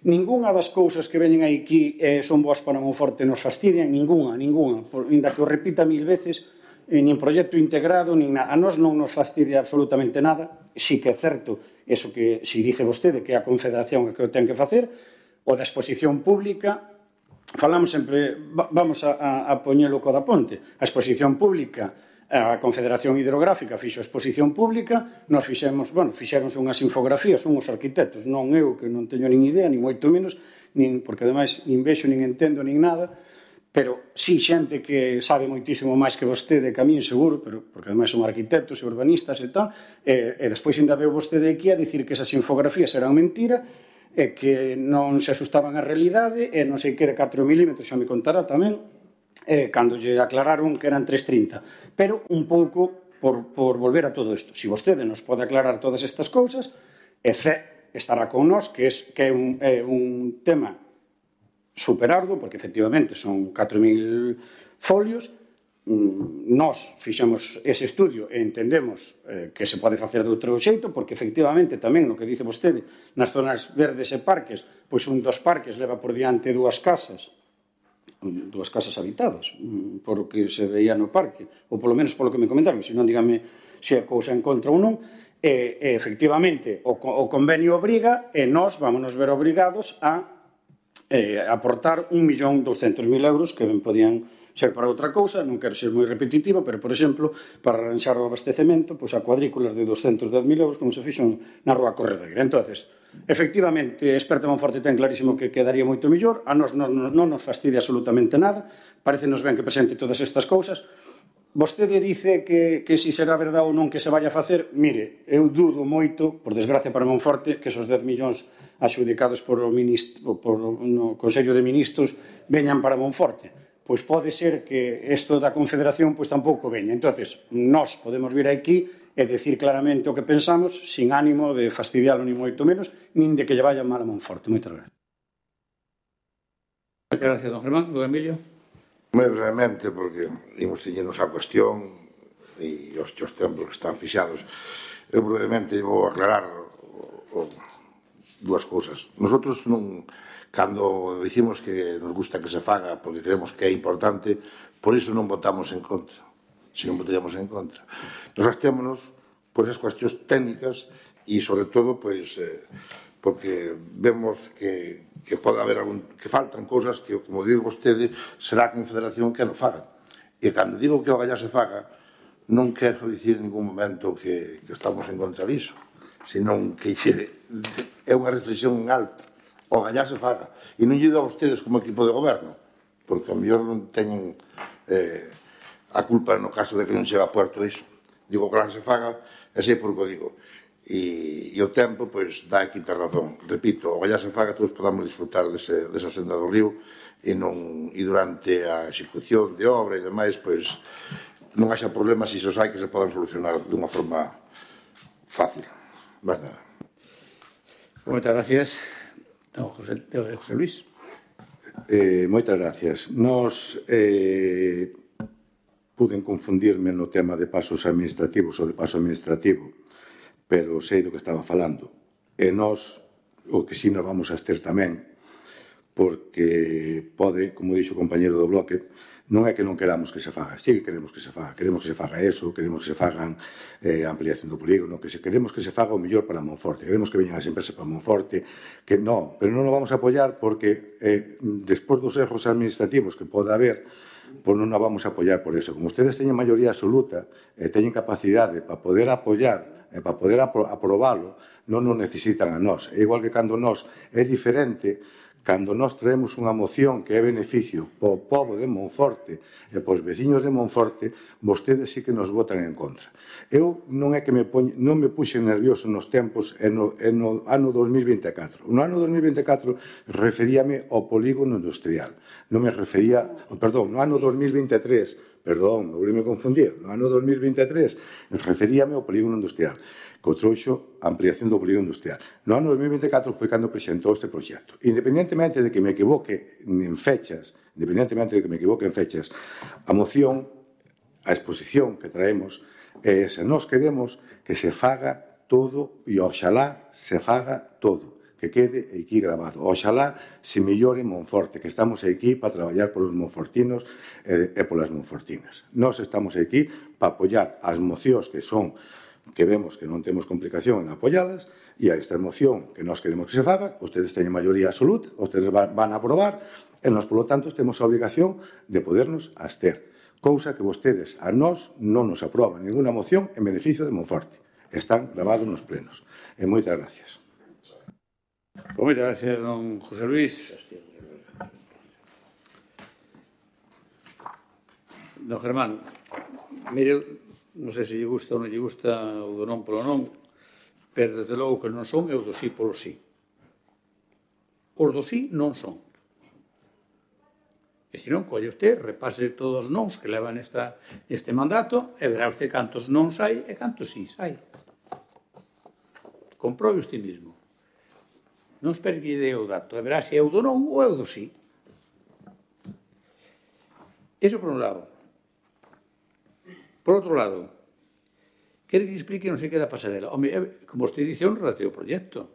Ningunha das cousas que veñen aquí son boas para Monforte, nos fastidian, ningunha, ainda que o repita 1000 veces, nin proxecto integrado, nin nada. A nós non nos fastidia absolutamente nada. Si que é certo, eso que si dice vostede, que é a Confederación que o ten que facer, o da exposición pública, falamos sempre, vamos a poñelo co da ponte, a exposición pública, a Confederación Hidrográfica fixo a exposición pública, nos fixéronse unhas infografías, unhos arquitectos, non eu, que non teño nin idea, nin moito menos, porque ademais nin vexo, nin entendo, nin nada, pero sí xente que sabe moitísimo máis que vostede, que a mí seguro, porque ademais son arquitectos e urbanistas e tal, e despois ainda veo vostede aquí a dicir que esas infografías eran mentira, e que non se asustaban á realidade, e non sei que de 4 milímetros, xa me contará tamén, cando lle aclararon que eran 3,30. Pero un pouco por volver a todo isto. Se vostede nos pode aclarar todas estas cousas, estará con nós, que é un tema superardo, porque efectivamente son 4.000 folios. Nós fixemos ese estudio e entendemos que se pode facer de outro xeito, porque efectivamente tamén no que dice vostede, nas zonas verdes e parques, pois un dos parques leva por diante dúas casas habitadas, por o que se veía no parque, ou polo menos polo que me comentaron, se non dígame se a cousa en contra ou non, e efectivamente o convenio obriga, e nós vámonos ver obrigados a aportar 1.200.000 euros que ben podían ser para outra cousa, non quero ser moi repetitivo, pero, por exemplo, para arranxar o abastecemento, pois a cuadrículas de 210.000 euros, como se fixo na Rúa Corredeira. Entonces, efectivamente, Experta Monforte ten clarísimo que quedaría moito mellor, a nos non nos fastidia absolutamente nada, parecenos ben que presente todas estas cousas. Vostede dice que si será verdade ou non que se vaya a facer, mire, eu dudo moito, por desgracia para Monforte, que esos 10 millóns adxudicados por o Consello de Ministros veñan para Monforte. Pois pode ser que isto da Confederación pois tampouco veña. Entonces, nós podemos vir aquí e decir claramente o que pensamos, sin ánimo de fastidialo ni moito menos, nin de que lle vaya mal a Monforte. Moitas gracias. Moitas gracias, don Germán. Don Emilio. Moi brevemente, porque imos teñernos a cuestión e os tempos que están fixados. Eu brevemente vou aclarar dúas cousas. Nosotros non... Cando dicimos que nos gusta que se faga porque creemos que é importante, por iso non votamos en contra, se non votaríamos en contra. Nos abstémonos por esas cuestións técnicas e, sobre todo, pois, porque vemos que pode haber que faltan cousas que, como digo vostede, será a Confederación que non faga. E cando digo que o Gallá se faga, non quero dicir en ningún momento que estamos en contra disso, senón que é unha reflexión en alto. O Gallá se faga. E non lle digo a vostedes como equipo de goberno, porque a mellor non teñen a culpa no caso de que non se va a puerto iso. Digo que se faga, e sei por que o digo. E o tempo, pois, dá aquí ter razón. Repito, o Gallá se faga, todos podamos disfrutar desa senda do río e durante a execución de obra e demais, pois, non haxa problemas e isos hai que se podan solucionar dunha forma fácil. Más nada. Moitas gracias. José Luis. Moitas gracias. Nos puden confundirme no tema de pasos administrativos ou de paso administrativo, pero sei do que estaba falando. E nós, o que si nos vamos a abster tamén, porque pode, como dixo o compañero do bloque, non é que non queramos que se faga, sí que queremos que se faga, queremos que se faga eso, queremos que se fagan ampliación do polígono, queremos que se faga o mellor para Monforte, queremos que veñan as empresas para Monforte, que non, pero non o vamos a apoiar porque despois dos erros administrativos que pode haber, pois non o vamos a apoiar por eso. Como ustedes teñen maioría absoluta e teñen capacidade para poder apoiar e para poder aprobalo, non nos necesitan a nós. É igual que cando nós é diferente. Cando nós traemos unha moción que é beneficio para o pobo de Monforte e para os veciños de Monforte, vostedes sí que nos votan en contra. Eu non é que non me puxe nervioso nos tempos no ano 2024. No ano 2024 referíame ao polígono industrial. Non me refería, perdón, no ano 2023, perdón, non me confundir, no ano 2023 referíame ao polígono industrial, que o trouxo a ampliación do polígono industrial. No ano 2024 foi cando presentou este proxecto. Independentemente de que me equivoque en fechas, a moción, a exposición que traemos, se nós queremos que se faga todo e oxalá se faga todo, que quede aquí grabado. Oxalá se mellore Monforte, que estamos aquí para traballar polos monfortinos e polas monfortinas. Nós estamos aquí para apoiar as mocións que vemos que non temos complicación en apoialas, e a esta moción que nós queremos que se faga, ustedes teñen maioría absoluta, ustedes van a aprobar, e nós, polo tanto, temos a obligación de podernos abster. Cousa que vostedes a nós non nos aproban ninguna moción en beneficio de Monforte. Están gravados nos plenos. E moitas gracias. Moitas gracias, don José Luis. Don Germán, mire, non sei se lle gusta ou non lle gusta o do non polo non, pero desde logo que non son é o do sí polo sí. Os do sí non son. E se non, colle usted, repase todos os nons que levan este mandato e verá usted cantos non hai e cantos sí hai. Comprobe usted mismo. Non espere que lle dé o dato, e verá se é o do non ou é o do sí. Eso por un lado. Por outro lado, quere que explique non sei que da pasarela. Home, como usted dice, é un relativo proxecto.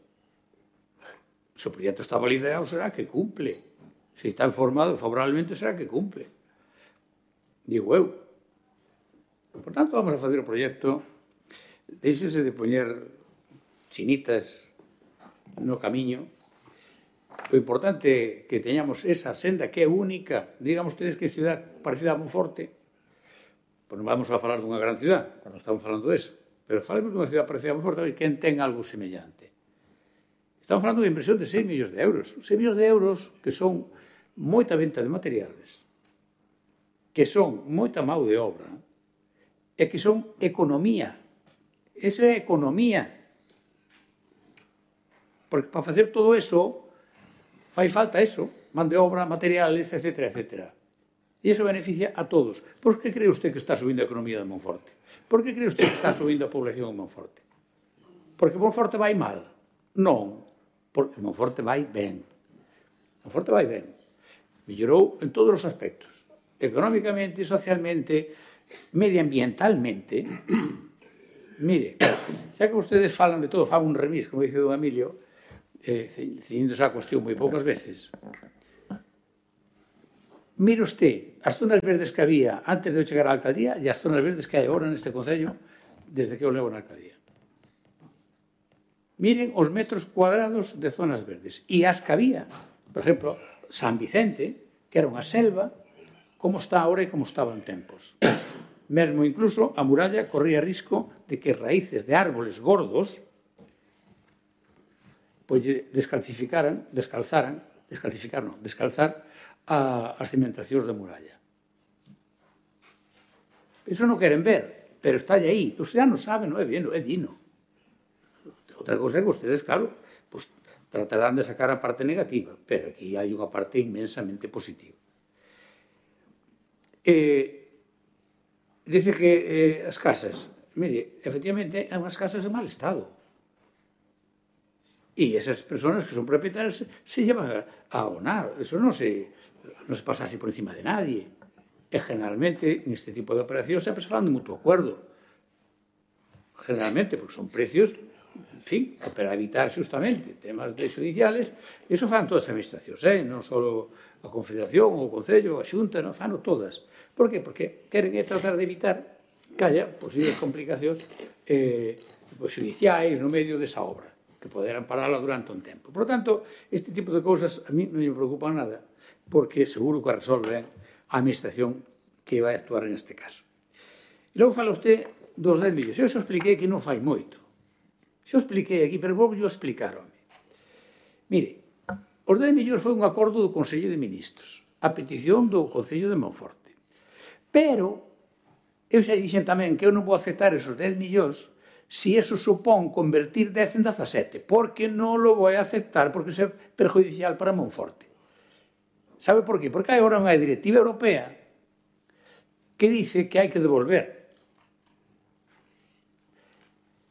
Se o proxecto está validado, será que cumple. Se está informado favorablemente, será que cumple. Digo eu. Por tanto, vamos a facer o proxecto. Deixense de poñer chinitas no camiño. O importante é que teñamos esa senda que é única. Digamos ustedes que é ciudad parecida a Monforte. Pois non vamos a falar dunha gran ciudad, cando estamos falando deso, pero falemos dunha ciudad parecida a Monforte, a ver quen ten algo semellante. Estamos falando de inversión de 6 millóns de euros. 6 millóns de euros que son moita venta de materiales, que son moita mão de obra, e que son economía. Esa é economía. Porque para facer todo eso, fai falta eso, man de obra, materiales, etcétera, etcétera. E iso beneficia a todos. Por que cree usted que está subindo a economía de Monforte? Por que cree usted que está subindo a población de Monforte? Porque Monforte vai mal? Non, porque Monforte vai ben. Monforte vai ben. Mellorou en todos os aspectos. Económicamente, socialmente, medioambientalmente. Mire, xa que ustedes falan de todo, fan un remis, como dice don Emilio, ciñéndose a cuestión moi poucas veces. Mire usted, as zonas verdes que había antes de chegar á alcaldía e as zonas verdes que hai agora neste Concello, desde que eu levo na alcaldía. Miren os metros cuadrados de zonas verdes. E as que había, por exemplo, San Vicente, que era unha selva, como está ahora e como estaba en tempos. Mesmo incluso a muralla corría risco de que raíces de árboles gordos pois descalzar as cimentacións da muralla. Iso non queren ver, pero está aí. Os ciudadanos saben, non é bien, é dino. Outra cosa é que ustedes, claro, pues, tratarán de sacar a parte negativa, pero aquí hai unha parte inmensamente positiva. Dice que as casas, mire, efectivamente, hai unhas casas en mal estado. E esas persoas que son propietarias se llevan a abonar. Eso non se pasa así por encima de nadie. E generalmente, neste tipo de operacións, sempre se falan de mutuo acuerdo. Generalmente, porque son precios, en fin, para evitar justamente temas judiciales, e iso fan todas as administracións, non só a Confederación, o Concello, a Xunta, non fan todas. Por que? Porque queren tratar de evitar que haya posibles complicacións judiciais no medio desa obra, que poderán parala durante un tempo. Por tanto, este tipo de cousas a mí non me preocupan nada, porque seguro que a resolven a administración que vai actuar neste caso. E logo fala usted dos 10 millóns. Eu xa expliquei que non fai moito. Xa expliquei aquí, pero vou yo explicarome. Mire, os 10 millóns foi un acordo do Consello de Ministros, a petición do Concello de Monforte. Pero, eu xa dixen tamén que eu non vou aceptar esos 10 millóns se eso supón convertir 10 en 17, porque non lo vou a aceptar, porque é perjudicial para Monforte. Sabe por qué? Porque hai agora unha directiva europea que dice que hai que devolver.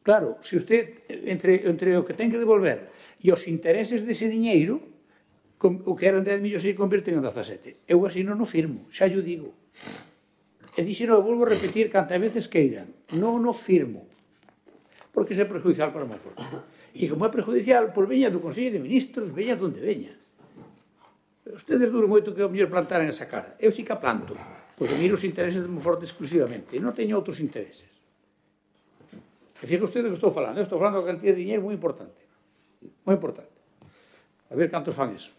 Claro, se usted, entre o que ten que devolver e os intereses dese diñeiro, o que eran 10 millóns se convirten en 17. Eu así non o firmo, xa yo digo. E dixeno, eu volvo a repetir cantas veces queiran. Non o firmo. Porque é perjudicial para Monforte. E como é perjudicial, pois veña do Consello de Ministros, veña donde veña. Ustedes duran moito que o mellor plantaran esa cara. Eu sí que a planto, porque miro os intereses de Monforte exclusivamente. E non teño outros intereses. E fíjate usted do que estou falando. Eu estou falando da cantidad de dinheiro moi importante. Moi importante. A ver cantos fan eso.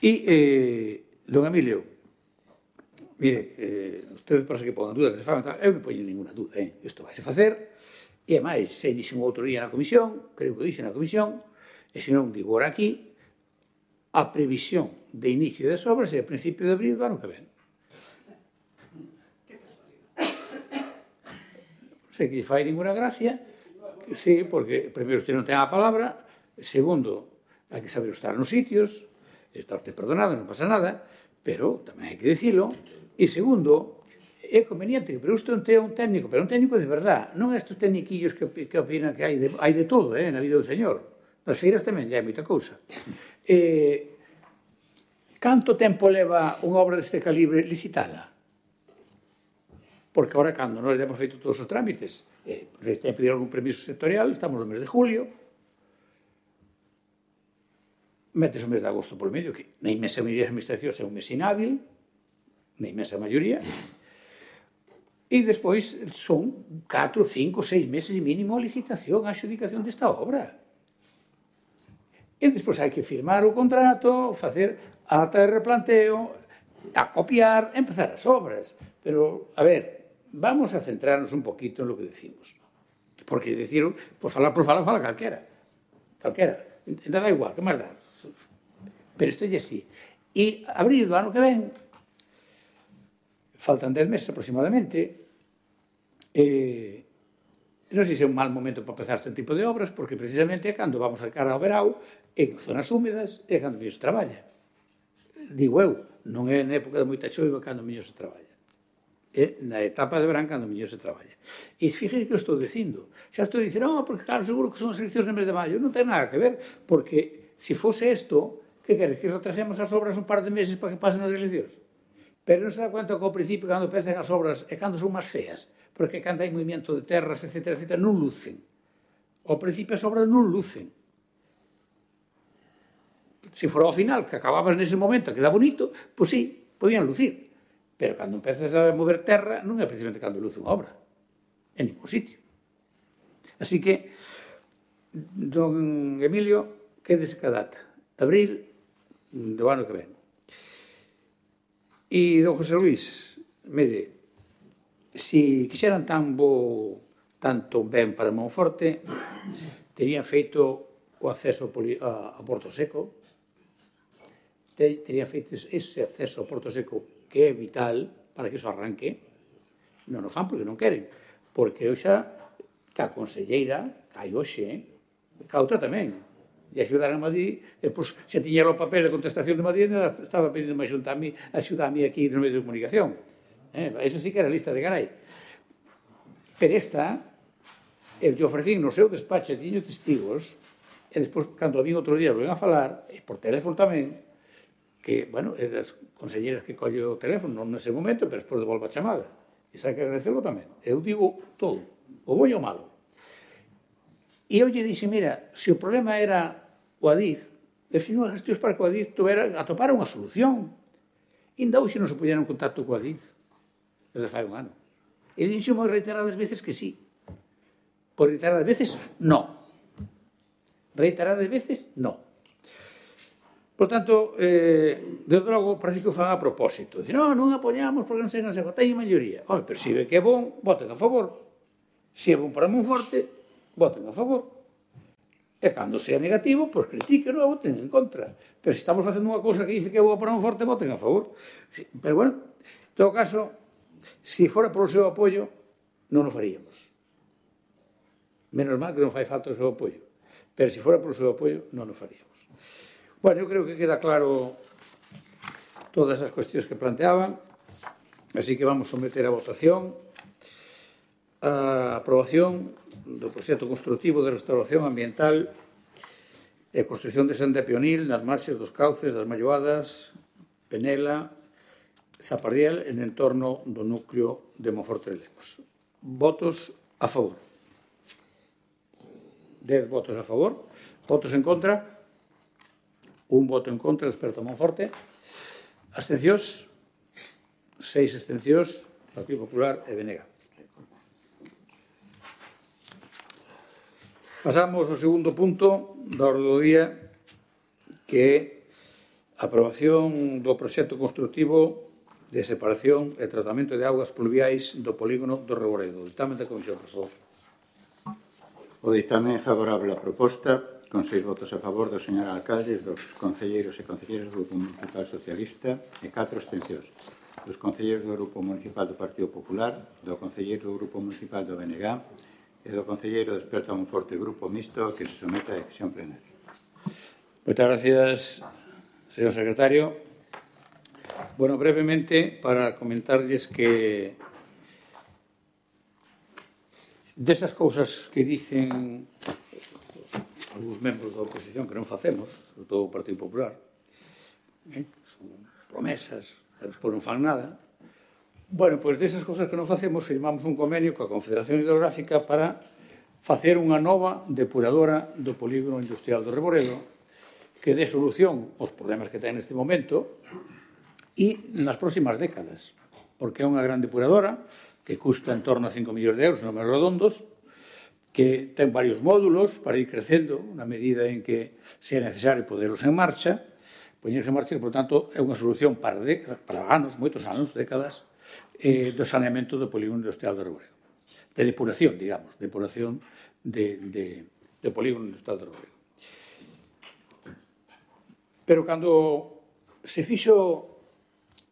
E, don Emilio, mire, ustedes parece que pongan duda que se fan, eu non poño ninguna duda, isto vai se facer, e máis, se dixen outro día na comisión, creo que dixen na comisión, e se non digo ahora aquí, a previsión de inicio das obras é a principio de abril do ano que ven. Non sei que lle fai ninguna gracia, sí, porque primeiro usted non ten a palabra, segundo, hai que saber estar nos sitios, está usted perdonado, non pasa nada, pero tamén hai que dicilo, e segundo, é conveniente que usted non tenha un técnico, pero un técnico de verdad, non estes técniquillos que opinan que hai de todo, na vida do señor. Nas feiras tamén hai moita cousa. Canto tempo leva unha obra deste calibre licitala? Porque agora, cando nós temos feito todos os trámites, se ten que pedir algún permiso sectorial, estamos no mes de julio, metes o mes de agosto por medio, que na inmensa maioría das administracións é un mes inhábil, na inmensa maioría, e despois son 4, 5, 6 meses mínimo a licitación, a adjudicación desta obra. E despois hai que firmar o contrato, facer a ata de replanteo, a copiar, empezar as obras. Pero, a ver, vamos a centrarnos un poquito en lo que decimos. Porque decir, por falar, fala calquera. Calquera. Da igual, que máis dá? Pero isto é así. E abril do ano que ven, faltan 10 meses aproximadamente, non sei se é un mal momento para empezar este tipo de obras, porque precisamente é cando vamos a cara ao verao, en zonas húmedas, é cando mellor se traballa. Digo eu, non é na época de moita choiva cando mellor se traballa. É na etapa de verán cando mellor se traballa. E fíjate que eu estou dicindo. Xa estou dicindo, porque claro, seguro que son as eleccións no mes de maio. Non ten nada que ver, porque se fose isto, que queres, que retrasemos as obras un par de meses para que pasen as eleccións? Pero non se dá conta que ao principio, cando empezan as obras, é cando son máis feas, porque cando hai movimento de terras, etc., non lucen. Ao principio as obras non lucen. Se fora ao final, que acababas nese momento, que dá bonito, pois sí, podían lucir. Pero cando empezas a mover terra, non é precisamente cando luce unha obra. en ningún sitio. Así que, don Emilio, quédese ca data, abril do ano que ven. E don José Luís, mire, se quixeran tanto ben para Monforte, terían feito o acceso a Porto Seco, terían feito ese acceso a Porto Seco que é vital para que iso arranque. Non o fan porque non queren, porque eu xa ca conselleira, ca hoxe, ca outra tamén, e axudar a Madrid, e pois, xa tiñera o papel de contestación de Madrid, estaba pedindo axudarme aquí no medio de comunicación. Eso sí que era lista de garai. Pero esta, eu te ofrecín no seu despacho, tiño testigos, e despois, cando a vin outro día, volven a falar, e por teléfono tamén, que, bueno, eran as conselleiras que colle o teléfono, non nese momento, pero despois devolve a chamada. E sabe que agradecerlo tamén. Eu digo todo, o bo e o malo. E eu lle dixe, mira, se o problema era o Adif, eu fiz unhas gestións para que o Adif atopara unha solución. E ainda hoxe non se puñeron en contacto co Adif, desde fai un ano. E dixo reiteradas veces que sí. Por reiteradas veces, no. Reiteradas veces, no. Por tanto, desde logo, parece que o fan a propósito. Dice, non apoñamos porque non sei, teñen maioría. Pero se ve que é bon, voten a favor. Se é bon para Monforte, voten a favor. E cando sea negativo, pois critiquen ou voten en contra. Pero se estamos facendo unha cousa que dice que é boa para Monforte, voten a favor. Pero bueno, en todo caso, se fora polo seu apoio, non o faríamos. Menos mal que non fai falta o seu apoio. Pero se fora polo seu apoio, non o faríamos. Bueno, eu creo que queda claro todas as cuestións que planteaban, así que vamos someter a votación a aprobación do proxecto constructivo de restauración ambiental e construcción de senda peonil nas marxes dos cauces das Malloadas, Penela, Zapardiel en entorno do núcleo de Monforte de Lemos. Votos a favor. 10 votos a favor. Votos en contra. Un voto en contra, experto Monforte. Abstencións. 6 abstencións, Partido Popular e BNG. Pasamos ao segundo punto da orde do día, que é a aprobación do proxecto constructivo de separación e tratamento de augas pluviais do polígono do Reboredo. Dictamen da Comisión, por favor. O dictamen é favorable á proposta, con 6 votos a favor do señor alcalde, dos concelleiros e concelleiras do Grupo Municipal Socialista e 4 abstencións. Dos concelleiros do Grupo Municipal do Partido Popular, do concelleiro do Grupo Municipal do BNG e do concelleiro do experto Monforte Grupo Mixto que se someta a decisión plenaria. Moitas gracias, señor secretario. Bueno, brevemente, para comentarlles que desas cousas que dicen algúns membros da oposición que non facemos, sobre todo o Partido Popular, son promesas, despois non fan nada. Bueno, pois desas cousas que non facemos, firmamos un convenio coa Confederación Hidrográfica para facer unha nova depuradora do polígono industrial do Reboredo que dé solución aos problemas que ten neste momento e nas próximas décadas, porque é unha gran depuradora que custa en torno a 5 millóns de euros, números redondos, que ten varios módulos para ir crecendo na medida en que sea necesario poderos en marcha, poñerse en marcha, que, por tanto, é unha solución para anos, moitos anos, décadas, do saneamento do polígono industrial do Reboredo. De depuración, digamos, depuración do polígono industrial do Reboredo. Pero cando se fixo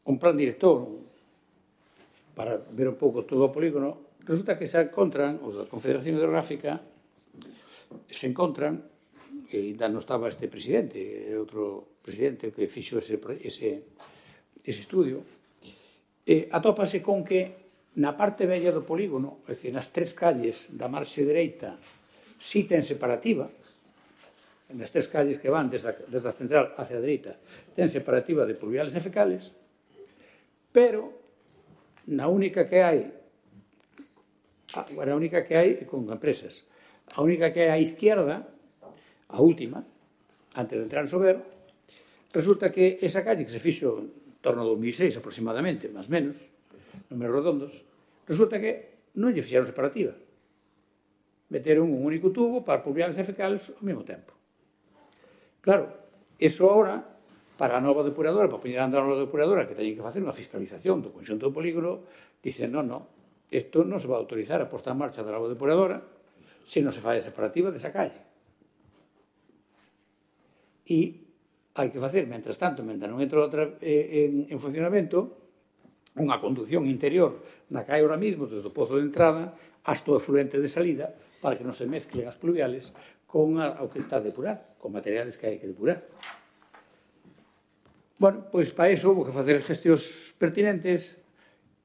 un plan director para ver un pouco todo o polígono, resulta que se encontran, os da Confederación Hidrográfica, se encontran, que ainda non estaba este presidente, era outro presidente que fixo ese estudio, atópase con que na parte bella do polígono, é dicir, nas 3 calles da marxe dereita, si ten separativa, nas 3 calles que van desde a central hacia a dereita, ten separativa de pluviales e fecales, pero na única que hai con empresas, a única que hai á izquierda, a última, antes de entrar en Sober, resulta que esa calle que se fixo en torno a 2006 aproximadamente, máis menos, números redondos, resulta que non lle fixeron separativa. Meteron un único tubo para pluviales e fecales ao mesmo tempo. Claro, eso ahora, para a nova depuradora, para poñer a andar a nova depuradora, que teñen que facer unha fiscalización do conxunto do polígono, dicen, non, isto non se va a autorizar a posta en marcha da nova depuradora se non se fai a separativa desa calle. E hai que facer, mentras tanto, mentre non entra outra en funcionamento, unha conducción interior na calle ahora mismo, desde o pozo de entrada hasta o efluente de salida, para que non se mezclen as pluviales con o que está a depurar, con materiales que hai que depurar. Bueno, pois para iso houve que facer gestións pertinentes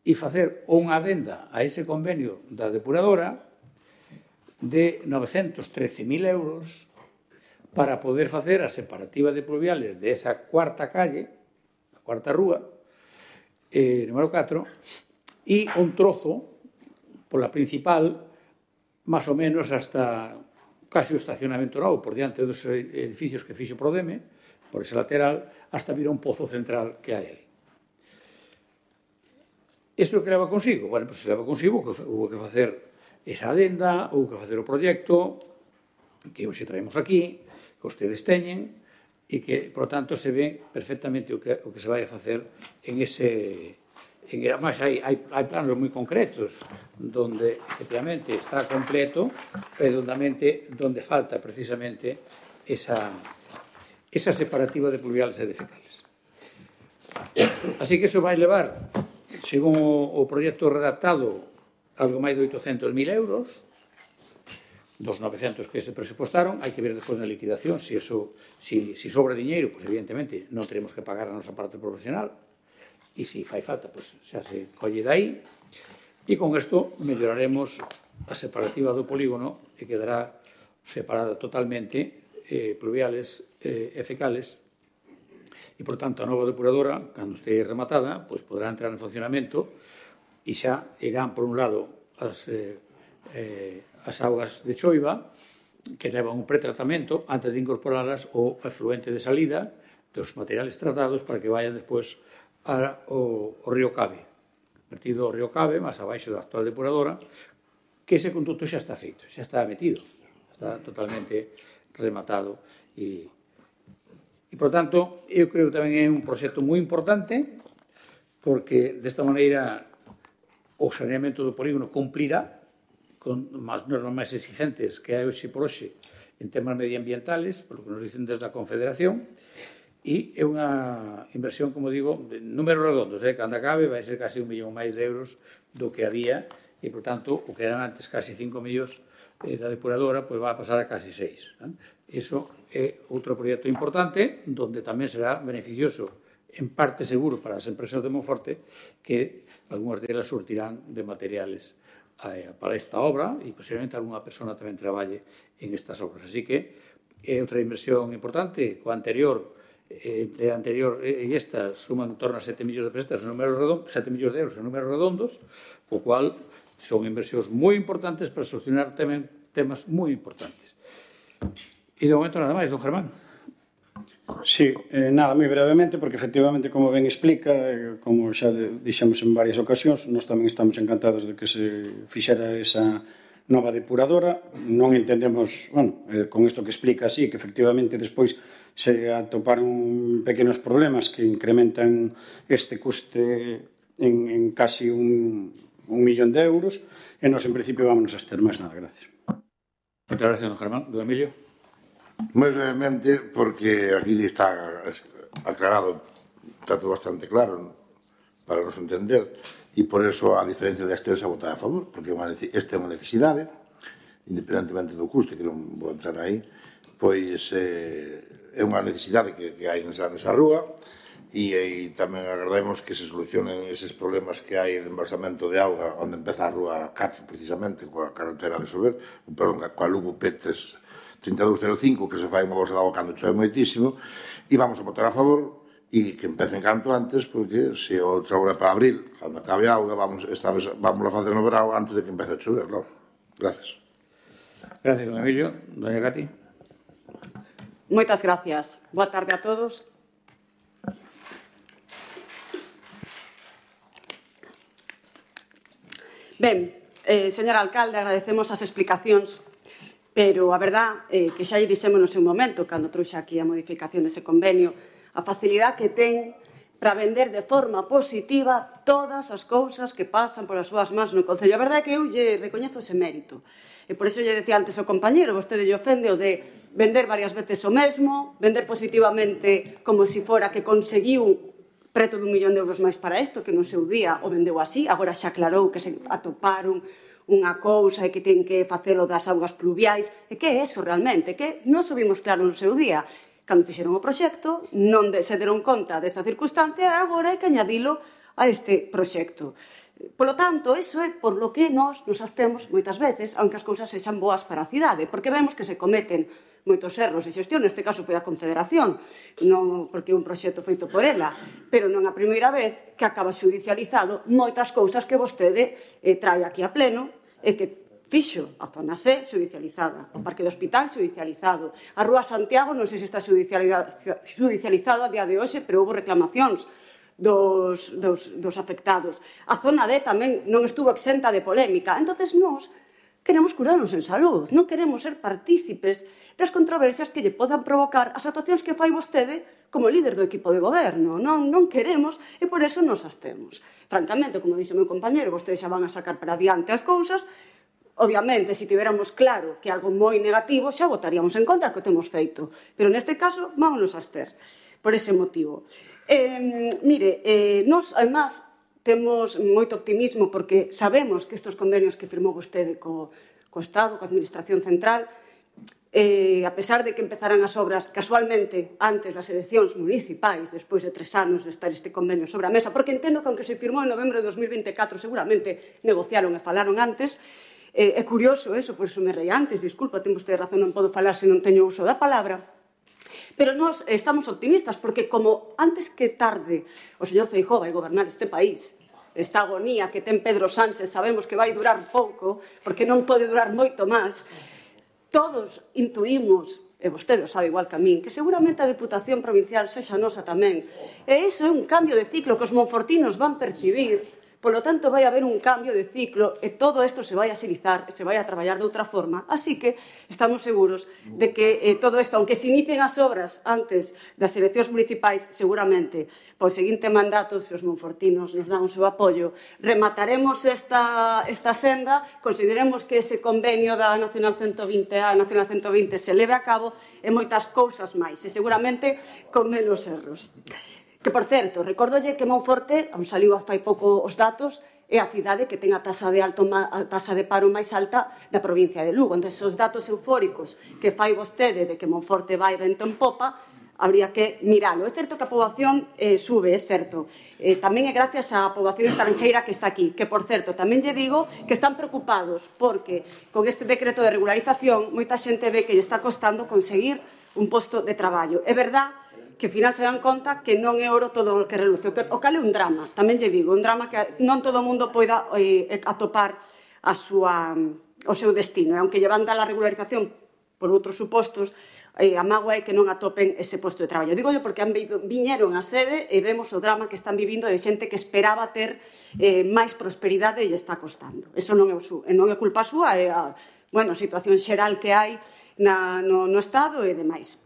e facer unha adenda a ese convenio da depuradora de 913.000 euros para poder facer a separativa de pluviales de esa cuarta calle, a cuarta rúa, número 4, e un trozo pola principal, máis ou menos hasta casi o estacionamento novo, por diante dos edificios que fixo Prodeme, por ese lateral, hasta vir a un pozo central que hai ali. Iso que leva consigo? Bueno, pois se leva consigo que houve que facer esa adenda, houve que facer o proxecto, que hoxe traemos aquí, que ustedes teñen, e que, por tanto, se ve perfectamente o que se vai a facer en ese... Además, hai planos moi concretos donde, efectivamente, está completo, pero donde falta, precisamente, esa separativa de pluviales e de fecales. Así que eso vai levar, según o proxecto redactado, algo máis de 800.000 euros, dos 900 que se presupostaron. Hai que ver despois na liquidación se sobra diñeiro, pois evidentemente non teremos que pagar a nosa parte profesional, e se fai falta, pois xa se colle dai, e con isto melloraremos a separativa do polígono e quedará separada totalmente pluviales e fecales, e, por tanto, a nova depuradora, cando este rematada, pois podrá entrar en funcionamento e xa irán, por un lado, as augas de choiva, que levan un pretratamento antes de incorporarlas ao efluente de salida dos materiales tratados para que vayan despois ao río Cabe. Vertido ao río Cabe, máis abaixo da actual depuradora, que ese conducto xa está feito, xa está metido, está totalmente rematado. E, por tanto, eu creo que tamén é un proxecto moi importante, porque desta maneira o saneamento do polígono cumplirá con as normas máis exigentes que hai hoxe por hoxe en temas medioambientales, por lo que nos dicen desde a Confederación, e é unha inversión, como digo, de números redondos, cando acabe vai ser casi 1 millón máis de euros do que había, e, por tanto, o que eran antes casi 5 millóns da depuradora, pois vai a pasar a casi 6. Iso é outro proxecto importante, donde tamén será beneficioso, en parte seguro, para as empresas de Monforte, que algunhas delas surtirán de materiales para esta obra e posiblemente alguna persona tamén traballe en estas obras. Así que é outra inversión importante. Coa anterior e esta suman en torno a 7 millóns de pesetas, 7 millóns de euros en números redondos, o cual son inversións moi importantes para solucionar tamén temas moi importantes. E de momento nada máis, don Germán. Sí, nada, moi brevemente, porque efectivamente, como ben explica, como xa dixemos en varias ocasións, nós tamén estamos encantados de que se fixera esa nova depuradora. Non entendemos, con isto que explica así, que efectivamente despois se atoparon pequenos problemas que incrementan este custe en casi 1 millón de euros, e nós en principio vámonos a ter máis nada. Gracias. Moitas gracias, don Germán. Don Emilio. Moi brevemente, porque aquí está aclarado, está todo bastante claro para nos entender, e por eso, a diferencia deste, se votar a favor, porque esta é unha necesidade, independentemente do custe, que non vou entrar aí, pois é unha necesidade que hai nesa rúa, e tamén agardemos que se solucionen eses problemas que hai de embalsamento de auga onde empeza a rúa 4, precisamente, coa carretera de Sober, coa Lugo P3 3205, que se fai unha bolsa de auga cando chove moitísimo, e vamos a votar a favor e que empecen canto antes, porque se outra hora para abril, cando acabe a auga, esta vez vamos a facer no verão antes de que empece a chover, non? Gracias. Gracias, don Emilio. Doña Cati. Moitas gracias. Boa tarde a todos. Ben, Señor alcalde, agradecemos as explicacións, pero a verdad que xa lle dixemos no seu momento, cando trouxe aquí a modificación dese convenio, a facilidade que ten para vender de forma positiva todas as cousas que pasan polas súas mans no Concello. A verdade é que eu lle recoñezo ese mérito. E por iso lle decía antes ao compañero, vostede lle ofende o de vender varias veces o mesmo, vender positivamente como se fora que conseguiu preto de 1 millón de euros máis para isto, que no seu día o vendeu así, agora xa aclarou que se atoparon unha cousa e que ten que facelo das augas pluviais. E que é eso realmente? Que non subimos claro no seu día. Cando fixeron o proxecto, non se deron conta desa circunstancia e agora hai que añadilo a este proxecto. Polo tanto, iso é por lo que nós nos abstemos moitas veces, aunque as cousas sexan boas para a cidade, porque vemos que se cometen moitos erros de xestión, neste caso foi a Confederación, non porque un proxecto feito por ela, pero non a primeira vez que acaba xudicializado moitas cousas que vostede trae aquí a pleno e que fixo a zona C xudicializada, o Parque do Hospital xudicializado, a Rúa Santiago non sei se está xudicializado a día de hoxe, pero houve reclamacións dos afectados. A zona D tamén non estuvo exenta de polémica. Entonces nós queremos curarnos en salud, non queremos ser partícipes das controversias que lle podan provocar as actuacións que fai vostede como líder do equipo de goberno. Non queremos e por eso nos abstemos. Francamente, como dixo o meu compañero, vostedes xa van a sacar para adiante as cousas. Obviamente, se tiveramos claro que algo moi negativo, xa votaríamos en contra que o temos feito. Pero neste caso, vámonos a abster por ese motivo. Nós, además, temos moito optimismo porque sabemos que estes convenios que firmou vostede co Estado, coa Administración Central, a pesar de que empezaran as obras casualmente antes das eleccións municipais, despois de 3 anos de estar este convenio sobre a mesa, porque entendo que aunque se firmou en novembro de 2024, seguramente negociaron e falaron antes. É curioso eso, por iso me rei antes, disculpa, ten vostede razón, non podo falar se non teño uso da palabra. Pero nós estamos optimistas, porque como antes que tarde o señor Feijóo vai gobernar este país, esta agonía que ten Pedro Sánchez sabemos que vai durar pouco, porque non pode durar moito máis, todos intuímos, e vostede o sabe igual que a min, que seguramente a Deputación Provincial sexa nosa tamén. E iso é un cambio de ciclo que os monfortinos van percibir. Polo tanto, vai haber un cambio de ciclo e todo isto se vai axilizar, se vai a traballar de outra forma. Así que estamos seguros de que todo isto, aunque se inicien as obras antes das eleccións municipais, seguramente, pois seguinte mandato, se os monfortinos nos dan o seu apoio, remataremos esta senda, consideremos que ese convenio da Nacional 120A, Nacional 120 se leve a cabo e moitas cousas máis, e seguramente con menos erros. Que, por certo, recórdolle que Monforte, onde saliu fai pouco os datos, é a cidade que ten a taxa de paro máis alta da provincia de Lugo. Entón, os datos eufóricos que fai vostede de que Monforte vai vento en popa, habría que miralo. É certo que a poboación sube, é certo. Tamén é gracias á poboación estranxeira que está aquí, que, por certo, tamén lle digo que están preocupados porque con este decreto de regularización moita xente ve que lle está costando conseguir un posto de traballo. É verdad que ao final se dan conta que non é oro todo o que reluce. O cal é un drama, tamén lle digo, un drama que non todo o mundo poida atopar o seu destino. E aunque llevan da la regularización por outros supostos, a mágoa é que non atopen ese posto de traballo. Dígollo porque viñeron a sede e vemos o drama que están vivindo de xente que esperaba ter máis prosperidade e lle está costando. Eso non é culpa súa, é a situación xeral que hai no Estado e demais.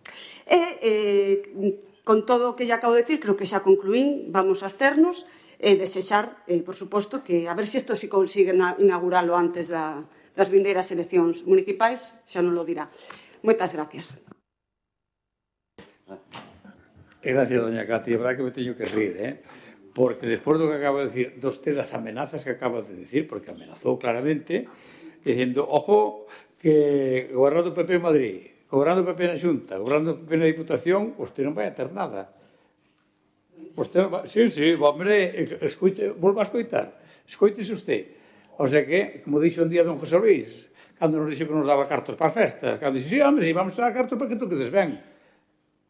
Con todo o que lle acabo de dicir, creo que xa concluín, vamos a absternos e desexar, por suposto, que a ver se isto se consigue inauguralo antes das vindeiras eleccións municipais, xa non lo dirá. Moitas gracias. Gracias, doña Cati. É verdad que me teño que rir, porque despois do que acabo de decir, das amenazas que acabo de decir, porque amenazou claramente, dicindo, ojo, que gobernando o PP en Madrid, gobernando o PP na Xunta, gobernando o PP na Diputación, vostede non vai a ter nada. Sí, hombre, volva a escoitar. Escoítese usted. O sea que, como dixo un día don José Luis, cando nos dixo que nos daba cartos para as festas, cando dixo, sí, hombre, si vamos a dar cartos para que tú quedes ben.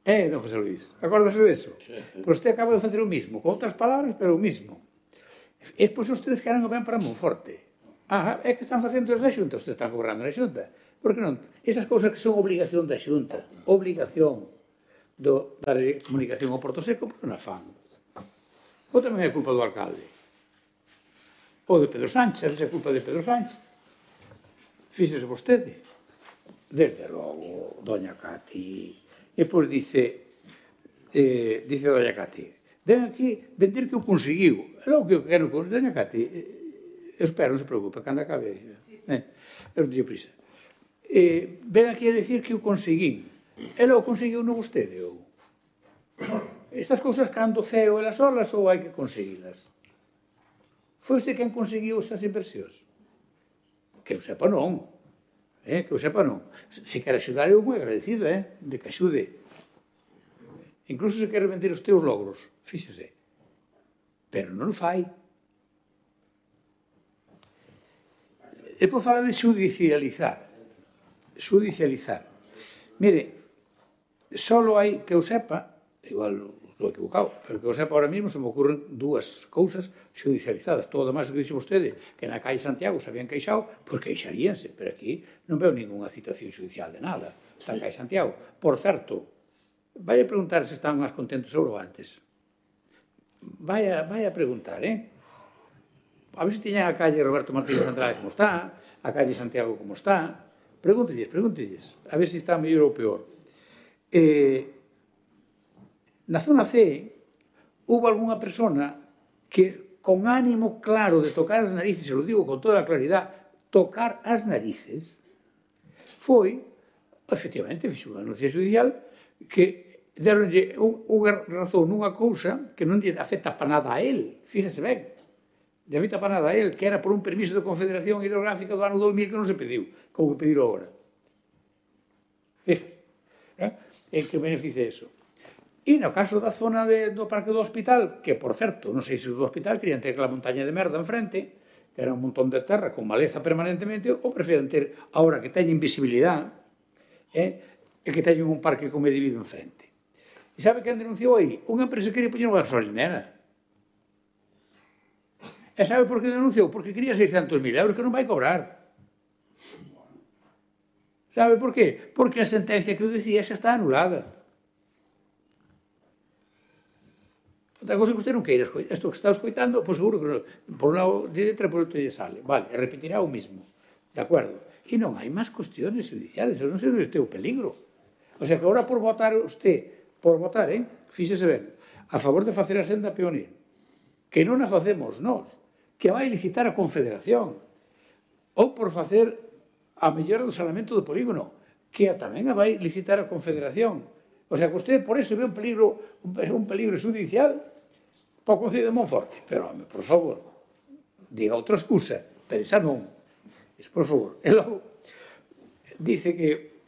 Don José Luis, acórdase disso? Pois usted acaba de facer o mismo, con outras palabras, pero o mismo. E pois ustedes queren o ben para Monforte. É que están facendo os da Xunta, ustedes están cobrando na Xunta. Por que non? Esas cousas que son obligación da Xunta, obligación da comunicación ao Porto Seco, porque non a fan. Ou tamén é culpa do alcalde. O de Pedro Sánchez, a veces é culpa de Pedro Sánchez. Fíxese vostede. Desde logo, doña Cati. E pois dice doña Cati, ven aquí vender que eu conseguiu. É logo que eu quero conseguir. Doña Cati, eu espero, non se preocupe, cando acabe. Eu non teño prisa. Ven aquí a decir que eu conseguí. E logo conseguiu non vostede, ou? Estas cousas cando ceo elas solas ou hai que conseguilas? Foi usted quen conseguiu estas inversións? Que eu sepa non. Que eu sepa non. Se quer axudar eu moi agradecido, de que axude. Incluso se quer vender os teus logros, fíxese. Pero non o fai. E por falar de xudicializar. Xudicializar. Mire, só hai que eu sepa, igual estou equivocado, pero que eu sepa ahora mesmo se me ocurren dúas cousas xudicializadas. Todo o demais que dixo vostede, que na calle Santiago se habían queixado, pois queixaríanse, pero aquí non veo ninguna citación judicial de nada. Está na calle Santiago. Por certo, vai a preguntar se están máis contentos ou antes. Vai a preguntar, A ver se tiñan a calle Roberto Martínez Andrade como está, a calle Santiago como está. Pregúntelles. A ver se está mellor ou peor. Na zona C, houve algunha persona que, con ánimo claro de tocar as narices, se lo digo con toda a claridade, tocar as narices, foi, efectivamente, fixo unha anuncia judicial que deronlle unha razón nunha cousa que non lle afecta para nada a él, fíjese ben, lle afecta para nada a él, que era por un permiso de Confederación Hidrográfica do ano 2000 que non se pediu, como que pedirlo agora. Fíjese, en que beneficia eso. E no caso da zona do Parque do Hospital, que, por certo, non sei se do hospital querían ter aquela montaña de merda enfrente, que era un montón de terra con maleza permanentemente, ou prefieren ter, ahora que teñen visibilidade, e que teñen un parque con medivido enfrente. E sabe quen denunciou aí? Unha empresa que quería poñer unha gasolinera. E sabe por que denunciou? Porque quería 600.000 euros que non vai cobrar. Sabe por qué? Porque a sentencia que eu dicía xa está anulada. Outra cosa que usted non queira escoitar. Isto que está escoitando, pois seguro que non, por un lado de letra, por outro lle sale. Vale, e repetirá o mismo. De acordo? E non hai máis cuestiones judiciales. Non sei onde este o peligro. O sea que agora por votar usted, fíxese ben, a favor de facer a senda peonil, que non a facemos nós, que vai licitar a Confederación, ou por facer a mellora do saneamento do polígono, que tamén a vai licitar a Confederación. O sea que usted por eso ve un peligro judicial para o Concello de Monforte. Pero, home, por favor, diga outra excusa, pero esa non. Por favor. E logo, dice que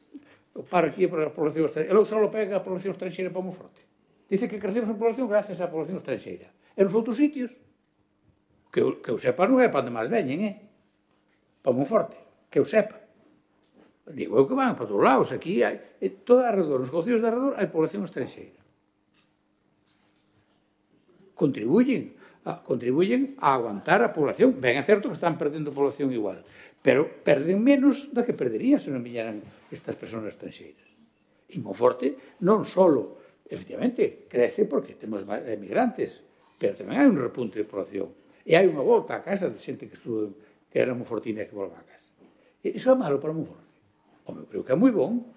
para aquí para a población estranxeira. E logo só lo pega a población estranxeira para Monforte. Dice que crecemos en población gracias á población estranxeira. E nos outros sitios, que eu sepa non é para onde máis veñen, para Monforte, que eu sepa. Digo eu que van para todos lados, aquí hai, toda alrededor, nos concellos de alrededor, hai población estranxeira. Contribuyen a aguantar a población. Ben, é certo que están perdendo población igual, pero perden menos da que perderían se non viñeran estas persoas estranxeiras. E Monforte non só, efectivamente, crece porque temos emigrantes, pero tamén hai un repunte de población. E hai unha volta a casa de xente que estudo, que era monfortina e que volva a casa. E iso é malo para Monforte. Home, eu creo que é moi bon.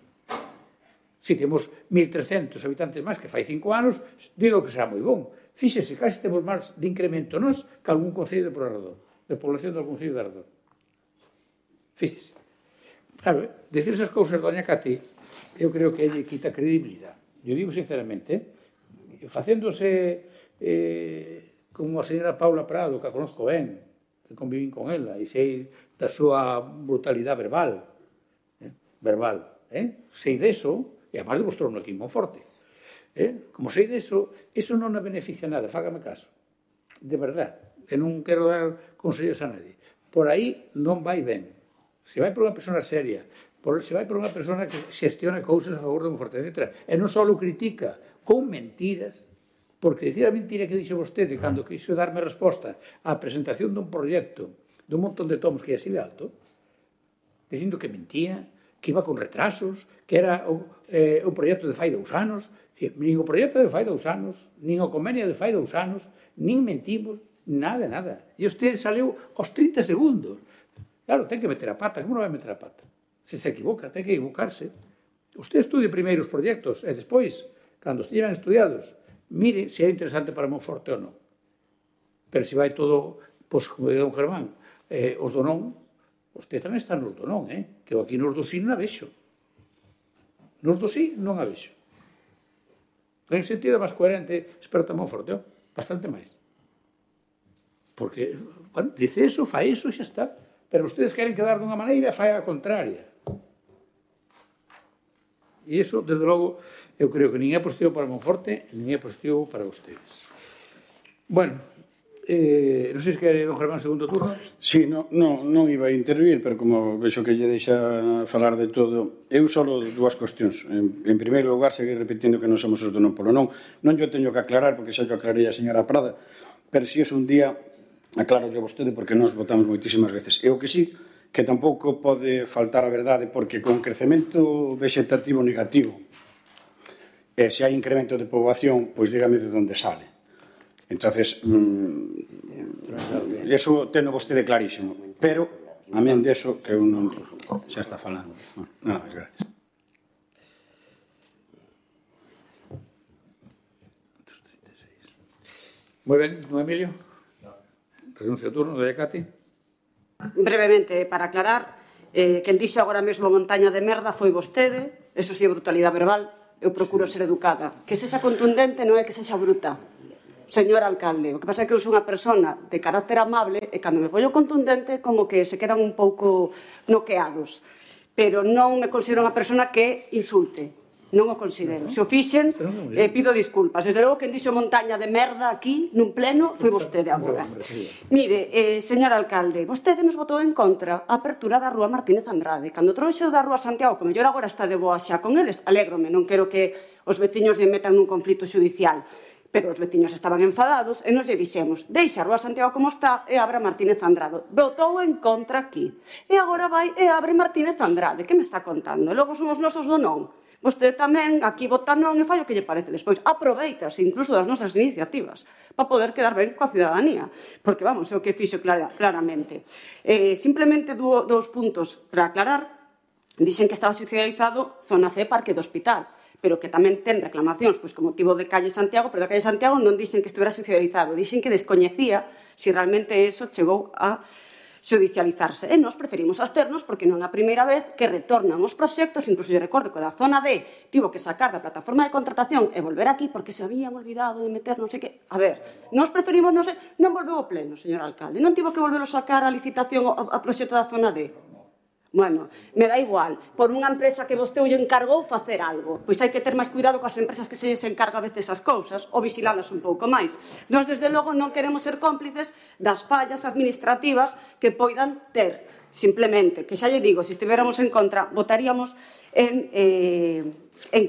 Se temos 1.300 habitantes máis que fai 5 anos, digo que será moi bon. Fíxese, casi temos máis de incremento nós que algún concello de por alrededor, de población de algún concello de alrededor. Fíxese. Claro, decir esas cousas, doña Cati, eu creo que lle quita credibilidade. Eu digo sinceramente, facéndose como a señora Paula Prado, que a conozco ben, que convivín con ela, e sei da súa brutalidade verbal, sei deso, e además demostrou-no aquí en Monforte. Como sei deso, eso non me beneficia nada, fágame caso. De verdad, que non quero dar consellos a nadie. Por aí non vai ben. Se vai por unha persona seria, se vai por unha persona que xestiona cousas a favor de Monforte, etc. E non só o critica con mentiras, porque dicir a mentira que dixo vostede cando quixo darme resposta á presentación dun proxecto dun montón de tomos que ia así de alto, dicindo que mentía, que iba con retrasos, que era un proxecto de fai 2 anos. Nin o proxecto de fai 2 anos, nin o convenio de fai 2 anos, nin mentimos, Nada, nada. E usted saliu aos 30 segundos. Claro, ten que meter a pata. Como non vai meter a pata? Se equivoca, ten que equivocarse. Usted estudie primeiro os proxectos e despois, cando estiven estudiados, mire se é interesante para Monforte ou non. Pero se vai todo, pois, como diga don Germán, os do non, usted tamén está nos do non, que eu aquí nos do sí non a vexo. Nos do sí non a vexo. En sentido máis coherente, experto en Monforte, bastante máis. Porque, bueno, dice eso, fai eso, xa está. Pero ustedes queren quedar dunha maneira, fai a contraria. E iso, desde logo, eu creo que nin é positivo para Monforte, nin é positivo para ustedes. Bueno, non sei se quere don Germán segundo turno. Sí, non iba a intervir, pero como vexo que lle deixa falar de todo, eu só dúas cuestións. En primeiro lugar, seguir repetindo que non somos os do non polo non. Non yo teño que aclarar, porque xa yo aclarei a señora Prada, pero si é un día, aclaro yo a vostede, porque nos votamos moitísimas veces. E o que sí, que tampouco pode faltar a verdade, porque con crecemento vegetativo negativo, se hai incremento de poboación, pois dígame de onde sale. Entonces, eso teno vostede clarísimo, pero a men deso que eu non xa está falando. Nada máis, gracias. Moi ben, don Emilio. Renuncio ao turno, doña Cati. Brevemente, para aclarar, quen dixo agora mesmo montaña de merda foi vostede, eso si é brutalidade verbal, eu procuro ser educada. Que sexa contundente non é que sexa bruta. Señor alcalde, o que pasa é que eu sou unha persona de carácter amable e cando me pollo contundente como que se quedan un pouco noqueados. Pero non me considero unha persona que insulte. Non o considero. Se o fixen, pido disculpas. Desde logo, quen dixo montaña de merda aquí, nun pleno, foi vostede agora. Mire, señor alcalde, vostede nos votou en contra a apertura da Rúa Martínez Andrade. Cando trouxo da Rúa Santiago, que mellor agora está de boa xa con eles, alégrome, non quero que os veciños se metan nun conflito judicial. Pero os veciños estaban enfadados e nos lle dixemos, deixa a Rúa Santiago como está e abre Martínez Andrade. Votou en contra aquí. E agora vai e abre Martínez Andrade. Que me está contando? E logo somos nosos do non. Vostede tamén aquí vota non e fai o que lle parece despois. Aproveitase incluso das nosas iniciativas para poder quedar ben coa cidadanía. Porque, vamos, é o que fixo claramente. Simplemente dous puntos para aclarar. Dixen que estaba socializado Zona C Parque do Hospital, pero que tamén ten reclamacións pois, con motivo de Calle Santiago, pero da Calle Santiago non dixen que estivera socializado, dixen que descoñecía se realmente eso chegou a judicializarse. E nós preferimos absternos porque non é a primeira vez que retornan os proxectos, incluso eu recordo que da zona D tivo que sacar da plataforma de contratación e volver aquí porque se habían olvidado de meter non sei que. A ver, nós preferimos, non volveu ao pleno, señor alcalde, non tivo que volver a sacar a licitación a proxecto da zona D. Bueno, me dá igual, por unha empresa que vostede lle encargou facer algo, pois hai que ter máis cuidado coas empresas que se encarga a veces as cousas, ou vigilalas un pouco máis. Nós, desde logo, non queremos ser cómplices das fallas administrativas que poidan ter. Simplemente, que xa lle digo, se estiveramos en contra, votaríamos en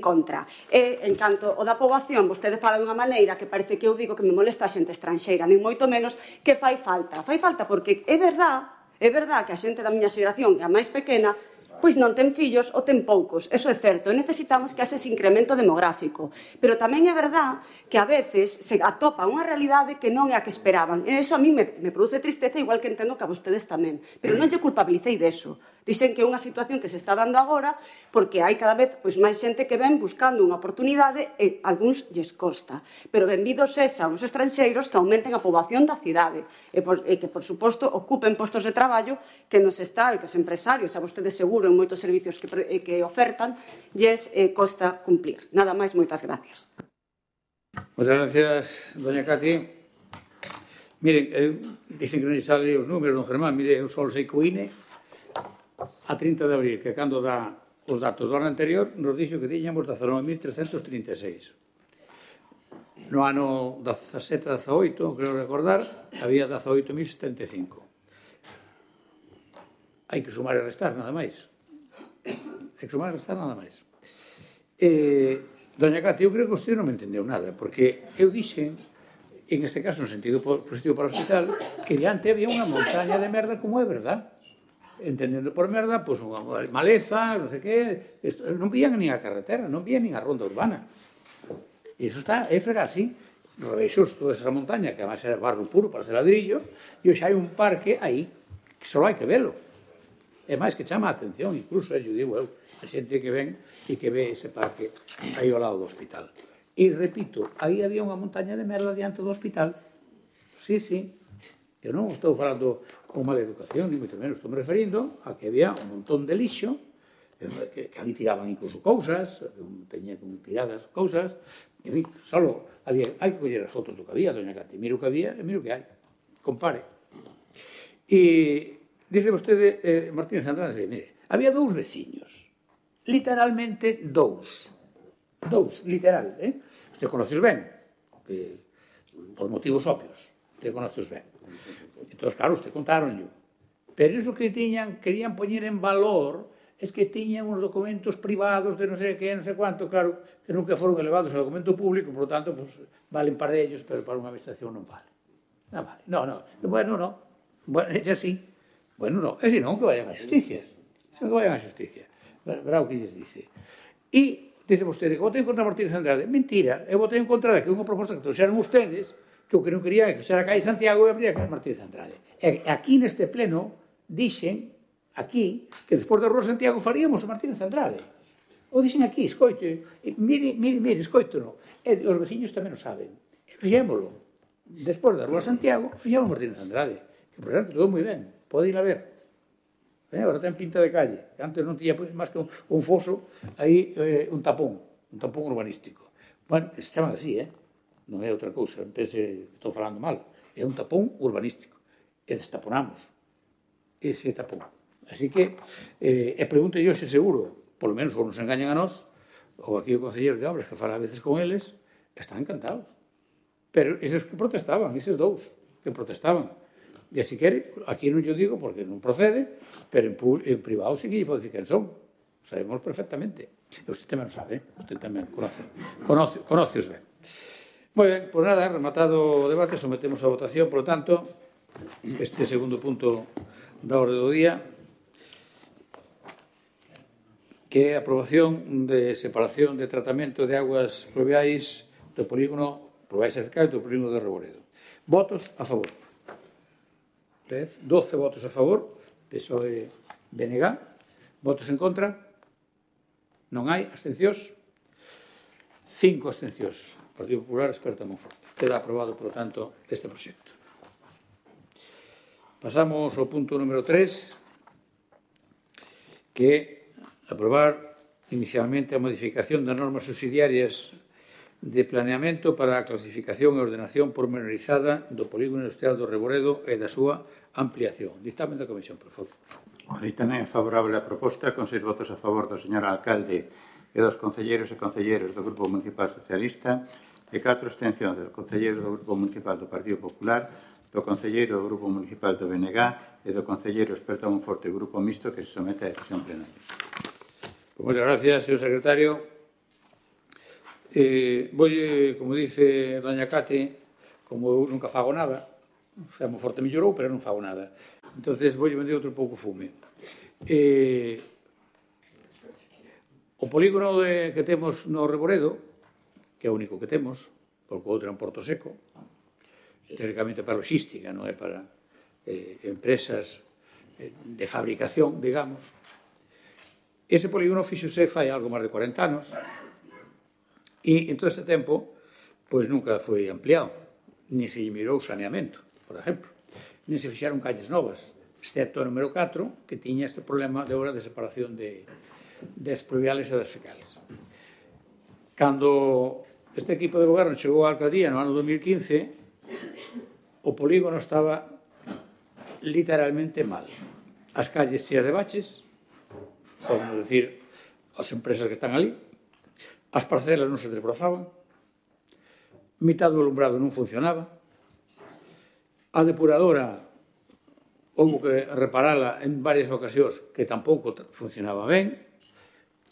contra. E, en canto o da poboación, vostede fala dunha maneira que parece que eu digo que me molesta a xente estranxeira, nin moito menos que fai falta. Fai falta porque é verdad que a xente da miña xeración, que a máis pequena, pois non ten fillos ou ten poucos. Eso é certo. E necesitamos que haxe ese incremento demográfico. Pero tamén é verdad que a veces se atopa unha realidade que non é a que esperaban. E iso a mí me produce tristeza, igual que entendo que a vostedes tamén. Pero non lle culpabilicei deso. Dixen que é unha situación que se está dando agora porque hai cada vez máis xente que ven buscando unha oportunidade e algúns lles costa. Pero benvidos sexan os estranxeiros que aumenten a poboación da cidade e que, por suposto, ocupen postos de traballo que nos está e que os empresarios, a vostedes seguro, en moitos servicios que ofertan, lles costa cumplir. Nada máis, moitas gracias. Moitas gracias, doña Cati. Miren, dicen que non lle sale os números, don Germán. Mire, eu só sei que o INE a 30 de abril, que cando dá os datos do ano anterior, nos dixo que tiñamos 19.336. No ano 17-18, creo recordar, había 18.075. Hai que sumar e restar, nada máis. Hai que sumar e restar, nada máis. Doña Cati, eu creo que usted non me entendeu nada, porque eu dixen, en este caso, no sentido positivo para o hospital, que diante había unha montaña de merda, como é verdad. Entendendo por merda, pois unha maleza, non sei que, non vían nin a carretera, non vían nin a ronda urbana. E eso era así. rebeixou toda esa montaña, que además era barro puro para hacer ladrillo, e hoxe hai un parque aí, que só hai que velo. É máis que chama a atención, incluso, eu digo eu, a xente que ven e que ve ese parque aí ao lado do hospital. E, repito, aí había unha montaña de merda diante do hospital. Sí, sí. Eu non estou falando con mala educación, ni moito menos. Estou me referindo a que había un montón de lixo, que ali tiraban incluso cousas, teñían tiradas cousas, en fin, solo había, hai que coller as fotos do que había, doña Cati, miro o que había e miro o que hai. Compare. E dice vostede, Martínez Andrade, mire, había dous veciños, literalmente dous, literal, Usted conoceos ben, por motivos obvios, usted conoceos ben. Entón, claro, usted contaronllo. Pero iso que querían poñer en valor es que tiñan uns documentos privados de non sei que, non sei cuánto, claro, que nunca foron elevados ao documento público, por lo tanto, pues, valen para ellos, pero para unha administración non vale. Non vale. Bueno, no. Bueno, é así. Bueno, no. E senón que vayan á justicia. Verá o que lles dice. E dice vostede que votei contra Martínez Andrade. Mentira, eu votei en contra de que unha proposta que trouxeron ustedes, que o que non quería que fixera a calle Santiago e abría a calle Martínez Andrade. E aquí neste pleno dixen, aquí, que despois da Rúa Santiago faríamos a Martínez Andrade. O dixen aquí, escoite, mire, escoito. E os veciños tamén o saben. Fixémolo. Despois da Rúa Santiago, fixemos Martínez Andrade. Que, por exemplo, quedou moi ben. Pode ir a ver. Agora ten pinta de calle. Antes non tiña máis que un foso, aí un tapón urbanístico. Bueno, que se chaman así, non é outra cousa, pense que estou falando mal. É un tapón urbanístico. E destaponamos ese tapón. Así que, pregunto yo se seguro, polo menos ou nos engañan a nós, ou aquí o concelleiro de obras que fala a veces con eles, están encantados. Pero eses que protestaban, eses dous que protestaban, e así quere, aquí non yo digo porque non procede, pero en privado sí que lle pode dicir quen son. Sabemos perfectamente. E usted tamén o sabe, usted tamén conoce-os ben. Moi ben, pois nada, rematado o debate, sometemos a votación, por lo tanto, este segundo punto da orde do día, que é a aprobación de separación de tratamento de aguas pluviais do polígono pluviais cercados do polígono de Reboredo. Votos a favor. 12 votos a favor, PSOE BNG. Votos en contra? Non hai. Abstencións? 5 abstencións. Partido Popular, Esperta Monforte. Queda aprobado, por lo tanto, este proxecto. Pasamos ao punto número 3, que é aprobar inicialmente a modificación das normas subsidiarias de planeamento para a clasificación e ordenación pormenorizada do polígono industrial do Reboredo e da súa ampliación. Dictamen da Comisión, por favor. O dictamen é favorable á proposta, con 6 votos a favor do señor alcalde e dos concelleiros e concelleiras do Grupo Municipal Socialista e 4 abstencións dos concelleiros do Grupo Municipal do Partido Popular, do concelleiro do Grupo Municipal do BNG e do concelleiro experto Monforte do Grupo Mixto que se somete a decisión plenaria. Moitas gracias, señor secretario. Como dice doña Cate, como eu nunca fago nada, o Monforte mellorou, pero non fago nada. Entonces, vou vender outro pouco fume. O polígono que temos no Reboredo, que é o único que temos, porque o outro é un porto seco, teóricamente para logística, non é para empresas de fabricación, digamos. Ese polígono fixose fai algo máis de 40 anos, e en todo este tempo, pois nunca foi ampliado, ni se mirou saneamento, por exemplo, ni se fixaron calles novas, excepto o número 4, que tiña este problema de obra de separación das pluviales e das fecales. Cando este equipo de goberno chegou á alcaldía no ano 2015, o polígono estaba literalmente mal. As calles cheas de baches, podemos decir, as empresas que están ali, as parcelas non se desbrozaban, mitad do alumbrado non funcionaba, a depuradora houve que reparala en varias ocasións que tampouco funcionaba ben,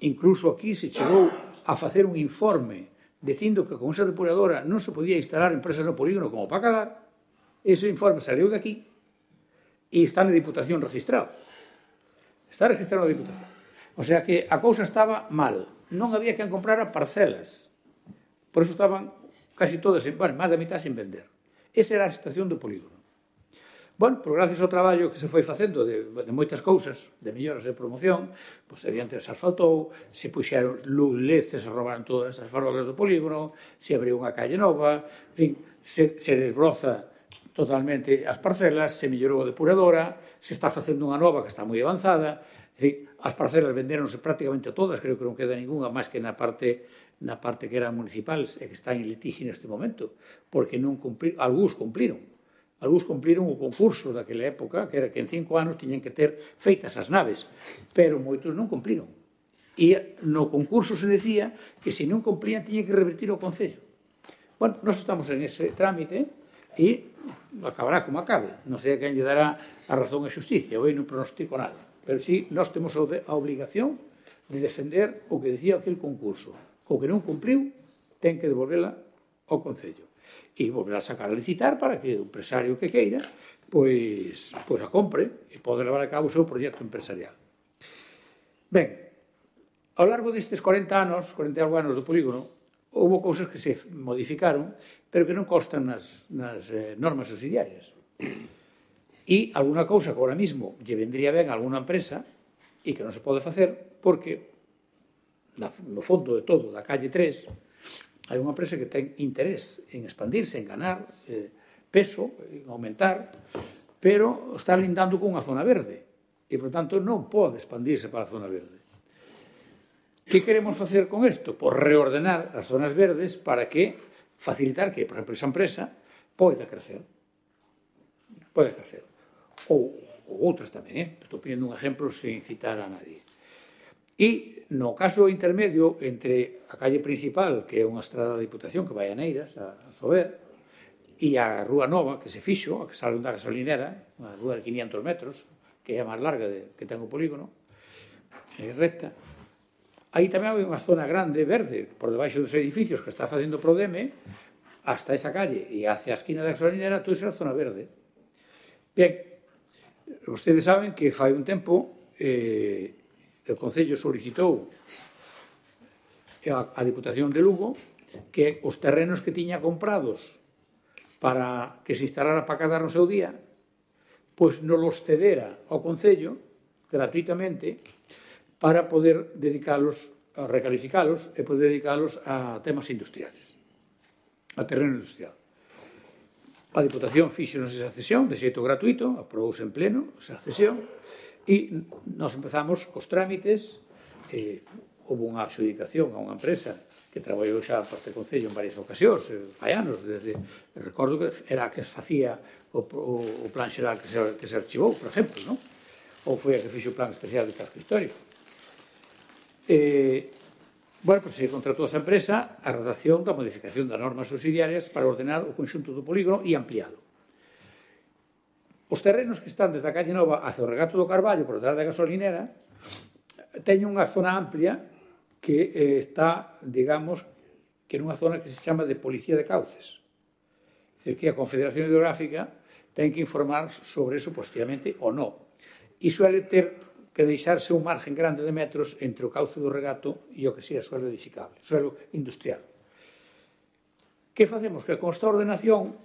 incluso aquí se chegou a facer un informe dicindo que con esa depuradora non se podía instalar empresas no polígono como para calar. Ese informe saliu de aquí e está na Diputación registrado. Está registrado na Diputación. O sea que a cousa estaba mal. Non había quen comprara parcelas. Por eso estaban casi todas, máis da mitad sin vender. Esa era a situación do polígono. Bueno, pois gracias ao traballo que se foi facendo de moitas cousas, de melloras de promoción, pois evidente se asfaltou, se puxeron luces, se roubaron todas as farolas do polígono, se abriu unha calle nova, en fin, se desbroza totalmente as parcelas, se mellorou a depuradora, se está facendo unha nova que está moi avanzada, en fin, as parcelas vendéronse prácticamente todas, creo que non queda ninguna máis que na parte que eran municipales e que están en litigio neste momento, porque non cumpriron, algúns cumpriron o concurso daquela época, que era que en 5 anos tiñan que ter feitas as naves, pero moitos non cumpriron. E no concurso se decía que se non cumplían tiñan que revertir ao Concello. Bueno, nós estamos en ese trámite e acabará como acabe. Non sei a quen lle dará a razón a xusticia, hoy non pronostico nada. Pero sí, nós temos a obligación de defender o que decía aquel concurso. O que non cumpriu, ten que devolvela ao Concello. E volver a sacar a licitar para que o empresario que queira pois a compre e pode levar a cabo o seu proxecto empresarial. Ben, ao largo destes 40 anos do polígono, houve cousas que se modificaron, pero que non constan nas normas subsidiarias. E alguna cousa que ahora mismo lle vendría ben a alguna empresa e que non se pode facer porque no fondo de todo da calle 3 hai unha empresa que ten interés en expandirse, en ganar peso, en aumentar, pero está lindando con unha zona verde e, por tanto, non pode expandirse para a zona verde. Que queremos facer con isto? Pois reordenar as zonas verdes para que facilitar que, por exemplo, esa empresa poida crecer. Pode crecer. Ou outras tamén, estou poniendo un exemplo sin citar a nadie. E, no caso intermedio entre a calle principal, que é unha estrada de Diputación que vai a Neiras, a Sober, e a Rúa Nova, que se fixo, a que sale da gasolinera, unha rúa de 500 metros, que é a máis larga que ten o polígono, é recta. Aí tamén hai unha zona grande, verde, por debaixo dos edificios que está facendo Prodeme, hasta esa calle e hacia a esquina da gasolinera, toda esa zona verde. Bien, vostedes saben que fai un tempo o Concello solicitou a Diputación de Lugo que os terrenos que tiña comprados para que se instalara para cadar no seu día, pois non los cedera ao Concello gratuitamente para poder dedicalos, a recalificalos e poder dedicalos a temas industriales, a terreno industrial. A Diputación fíxonos esa cesión de xeito gratuito, aprobouse en pleno esa cesión, e nos empezamos cos trámites, houve unha adjudicación a unha empresa que traballou xa para este Concello en varias ocasións, fai anos, recordo que era a que facía o plan xeral que se archivou, por exemplo, non? Ou foi a que fixo o plan especial de casco histórico. Bueno, pois se contratou esa empresa a redacción da modificación das normas subsidiarias para ordenar o conxunto do polígono e ampliado. Os terrenos que están desde a calle Nova hacia o regato do Carballo por detrás da gasolinera teñen unha zona amplia que está, digamos, que nunha zona que se chama de Policía de Cauces. É dicir, que a Confederación Hidrográfica ten que informar sobre eso positivamente ou non. E suele ter que deixarse un margen grande de metros entre o cauce do regato e o que sea suelo edificable, suelo industrial. Que facemos? Que con esta ordenación,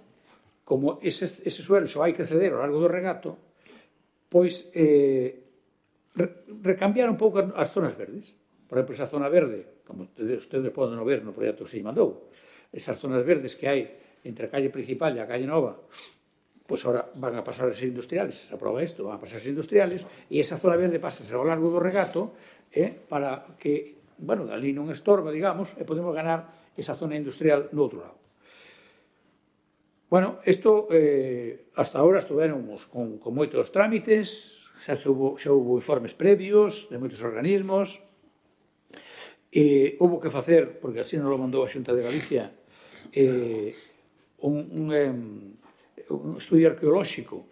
como ese suelo só hai que ceder ao largo do regato, pois recambiar un pouco as zonas verdes. Por exemplo, esa zona verde, como ustedes poden ver no proxecto que se mandou, esas zonas verdes que hai entre a calle principal e a calle Nova, pois agora van a pasar a ser industriales, se aproba isto, van a pasar a ser industriales, e esa zona verde pasa ao largo do regato para que, bueno, ali non estorba, digamos, e podemos ganar esa zona industrial no outro lado. Bueno, isto, hasta ahora estuvéramos con moitos trámites, xa houve informes previos de moitos organismos, e houve que facer, porque así nos lo mandou a Xunta de Galicia, un estudio arqueolóxico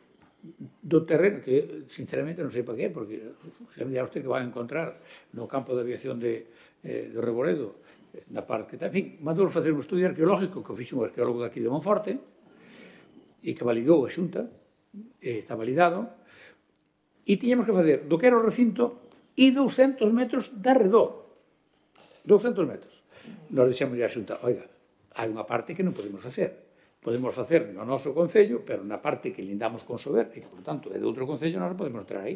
do terreno, que sinceramente non sei para qué, porque se me dirá usted que vai a encontrar no campo de aviación de Reboredo, na parte, en fin, mandou facer un estudio arqueológico que fixo un arqueólogo daqui de Monforte, e que validou a Xunta, está validado, e tiñamos que facer do que era o recinto e 200 metros de arredor. 200 metros. Nos dixemos a Xunta, oiga, hai unha parte que non podemos facer. Podemos facer no noso concello, pero na parte que lindamos con Sober, e que, por tanto, é de outro concello, non podemos entrar aí.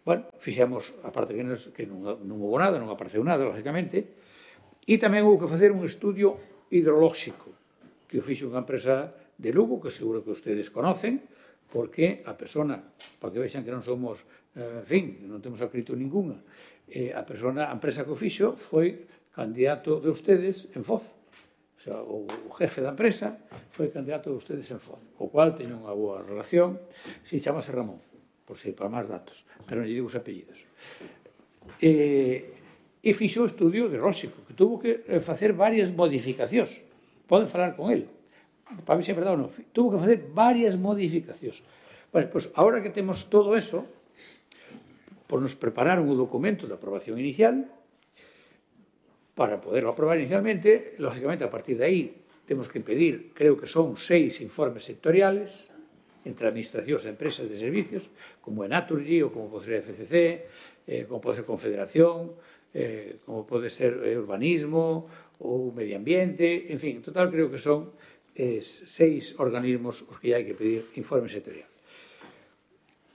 Bueno, fixemos a parte que non houve nada, non apareceu nada, lógicamente, e tamén houve que facer un estudio hidrolóxico, que o fixo unha empresa de Lugo, que seguro que ustedes conocen, porque a persona, para que vexan que non somos, en fin, non temos acrito ninguna, a empresa que o fixo foi candidato de ustedes en Foz. O sea, o jefe da empresa foi candidato de ustedes en Foz, co cual teño unha boa relación, si chamase Ramón, por si para máis datos, pero non lle digo os apellidos. E fixo o estudio hidrolóxico, que tuvo que facer varias modificacións. Poden falar con ele, para ver se é verdade ou non. Tuvo que facer varias modificacións. Bueno, pois, agora que temos todo eso, pois nos prepararon o documento de aprobación inicial. Para poderlo aprobar inicialmente, lógicamente, a partir de aí, temos que pedir, creo que son 6 informes sectoriales, entre administracións e empresas de servicios, como é Naturgy, ou como pode ser FCC, como pode ser Confederación, como pode ser urbanismo, ou medio ambiente, en fin, en total creo que son 6 organismos os que hai que pedir informe sectorial.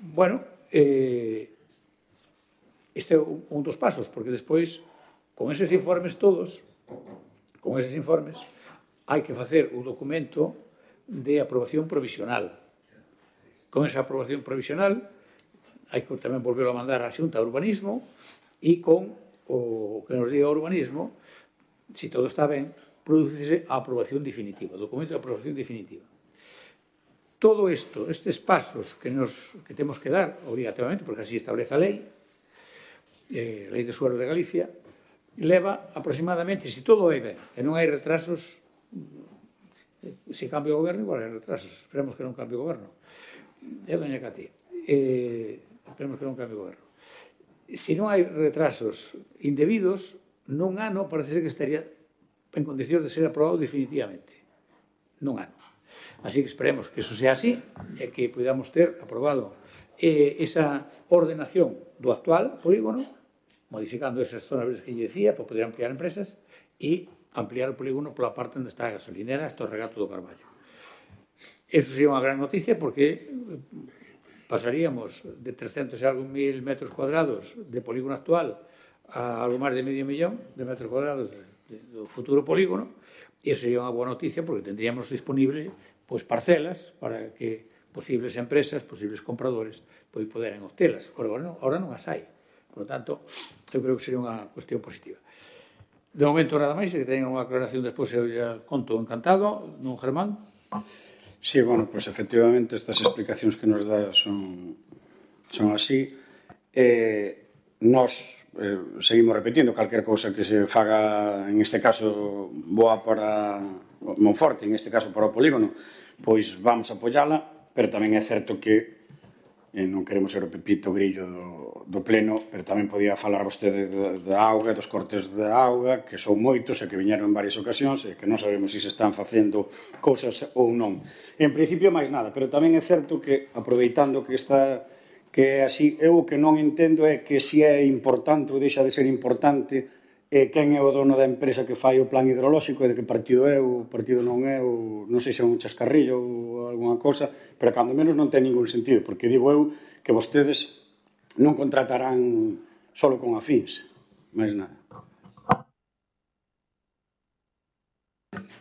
Bueno, este é un dos pasos, porque despois, con eses informes todos, hai que facer o documento de aprobación provisional. Con esa aprobación provisional, hai que tamén volverlo a mandar á Xunta de Urbanismo e con o que nos diga o urbanismo, se todo está ben, producirse a aprobación definitiva, o documento de aprobación definitiva. Todo isto, estes pasos que temos que dar, obrigatoriamente, porque así establece a lei de suelo de Galicia, leva aproximadamente, se todo vai ben, e non hai retrasos, se cambia o goberno, igual hai retrasos, esperemos que non cambie o goberno. Doña Cati, esperemos que non cambie o goberno. Se non hai retrasos indebidos, nun ano parece que estaría en condicións de ser aprobado definitivamente. Nun ano. Así que esperemos que eso sea así, e que podamos ter aprobado esa ordenación do actual polígono, modificando esas zonas verdes que lle decía, para poder ampliar empresas, e ampliar o polígono pola parte onde está a gasolinera hasta o regato do Carballo. Eso sería unha gran noticia, porque pasaríamos de 300 e algo mil metros cuadrados de polígono actual a algo máis de medio millón de metros cuadrados do futuro polígono, e eso sería unha boa noticia, porque tendríamos disponible parcelas para que posibles empresas, posibles compradores, poderan obtelas. Ahora non as hai. Por lo tanto, eu creo que sería unha cuestión positiva. De momento, nada máis, que teñan unha aclaración despois, eu ya conto encantado, non, Germán? Sí, bueno, pois efectivamente estas explicacións que nos dá son así. Nós seguimos repetindo calquer cousa que se faga, en este caso, boa para Monforte, en este caso para o polígono, pois vamos a apoiala, pero tamén é certo que non queremos ser o pepito grillo do pleno, pero tamén podía falar vostede da auga, dos cortes da auga, que son moitos e que viñeron en varias ocasións e que non sabemos se están facendo cousas ou non. En principio, máis nada, pero tamén é certo que, aproveitando que é así, eu o que non entendo é que se é importante ou deixa de ser importante quen é o dono da empresa que fai o plan hidrolóxico e de que partido é ou partido non é, ou non sei se é un chascarrillo ou alguna cosa, pero cando menos non ten ningún sentido, porque digo eu que vostedes non contratarán solo con afíns, máis nada.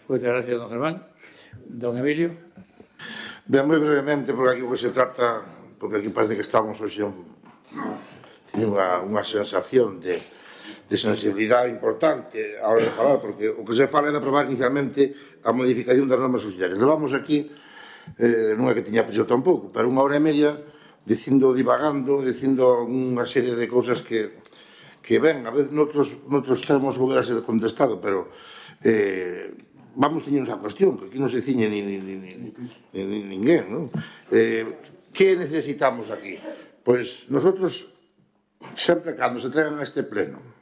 Moitas gracias, don Germán. Don Emilio. Ben, moi brevemente, porque aquí o que se trata, porque aquí parece que estamos hoxe unha sensación de sensibilidade importante a hora de falar, porque o que se fala é de aprobar inicialmente a modificación das normas subsidiarias. Levamos aquí, non é que tiña prisa tampouco, pero unha hora e media divagando, dicindo unha serie de cousas que ben, a veces noutros termos houbera ser contestado, pero vamos teñendo esa cuestión, que aquí non se ciñe ninguén, non? Que necesitamos aquí? Pois nosotros, sempre cando se traigan a este pleno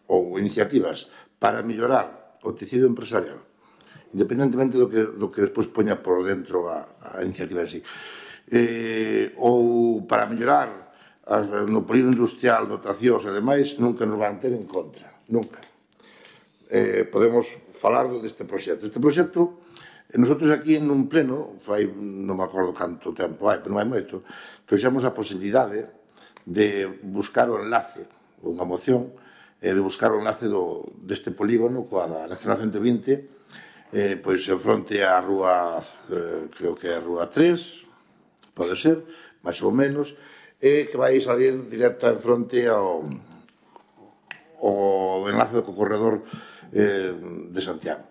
ou iniciativas para mellorar o tecido empresarial, independentemente do que despois poña por dentro a iniciativa en sí, ou para mellorar no polígono industrial, dotacións e demais, nunca nos van ter en contra, nunca. podemos falar deste proxecto. Este proxecto, nosotros aquí nun pleno, non me acordo canto tempo hai, pero non hai moito, trouxemos a posibilidade de buscar o enlace, unha moción, de buscar o enlace deste polígono coa Nacional 120, pois en fronte á rúa, creo que é a rúa 3, pode ser, máis ou menos, e que vai salir directa en fronte ao enlace co corredor de Santiago.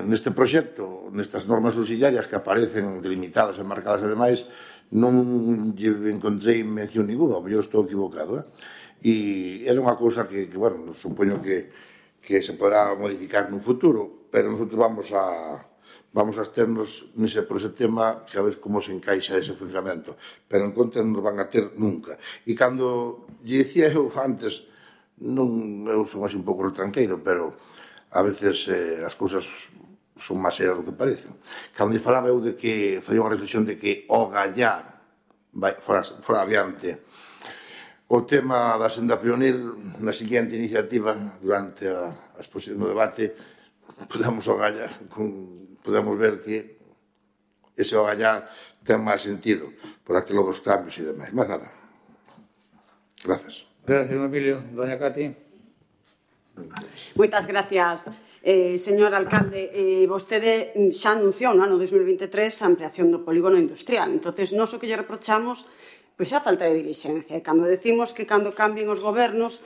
Neste proxecto, nestas normas subsidiarias que aparecen delimitadas e marcadas e demais, non lle encontrei mención ninguna, ou mellor estou equivocado, e era unha cousa que, bueno, supoño que se poderá modificar nun futuro, pero nosotros vamos a esternos por ese tema que a ver como se encaixa ese funcionamento, pero en contra non nos van a ter nunca. E cando lle dicía eu antes, eu son así un pouco retranqueiro, pero a veces as cousas son máis serias do que parecen. Cando falaba eu de que facía unha reflexión de que o Gallá fora adiante o tema da senda pionil na seguinte iniciativa durante a exposición do debate podemos ver que ese o Gallá ten máis sentido por aquilo dos cambios e demais. Máis nada. Gracias. Gracias, Emilio. Doña Cati. Moitas gracias, señor alcalde. Vostede xa anunciou no ano 2023 a ampliación do polígono industrial. Entonces, nós o que lle reprochamos pois a falta de dilixencia. E cando decimos que cando cambien os gobernos,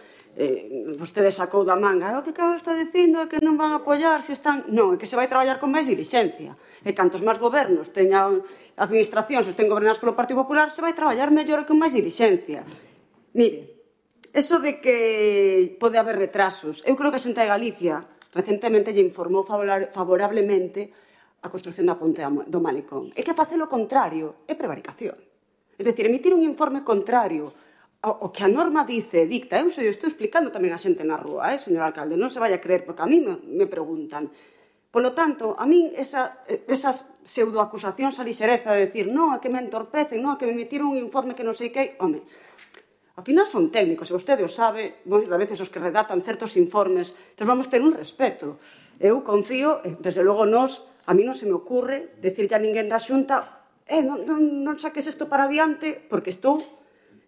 vostede sacou da manga, o que está dicindo é que non van a apoiar se están... Non, é que se vai traballar con máis dilixencia. E cantos máis gobernos teñan administracións ou estén gobernadas polo Partido Popular, se vai traballar mellor e con máis dilixencia. Mire, eso de que pode haber retrasos, eu creo que a Xunta de Galicia recentemente lle informou favorablemente a construcción da ponte do Malecón. É que facer o contrario é prevaricación. É dicir, emitir un informe contrario ao que a norma dicta. Eu estou explicando tamén a xente na rúa, señor alcalde, non se vai a creer, porque a mí me preguntan. Polo tanto, a min esas pseudoacusacións a lixereza de decir non, é que me entorpecen, non, é que me emitiron un informe que non sei que... Home, ao final son técnicos, e vostede o sabe, moitas veces os que redactan certos informes, entón vamos ter un respeto. Eu confío, desde logo a mí non se me ocurre decirlle a ninguén da Xunta non saques isto para adiante, porque estou,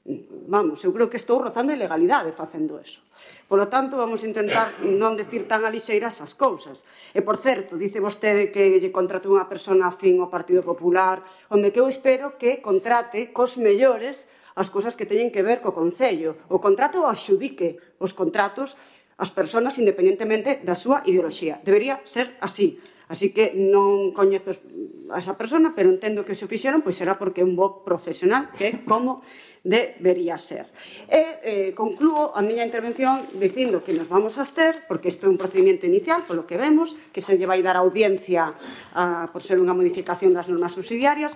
eu creo que estou rozando a ilegalidade facendo eso. Polo tanto, vamos a intentar non decir tan a lixeira esas cousas. E, por certo, dice vostede que lle contratou unha persona afín ao Partido Popular, onde que eu espero que contrate cos mellores as cousas que teñen que ver co Concello. O contrato axudique os contratos ás persoas independentemente da súa ideoloxía. Debería ser así. Así que non coñezo a esa persona, pero entendo que se o fixeron, pois será porque é un bo profesional, que é como debería ser. E conclúo a miña intervención dicindo que nos vamos a abster, porque isto é un procedimento inicial, polo que vemos, que se lle vai dar audiencia por ser unha modificación das normas subsidiarias.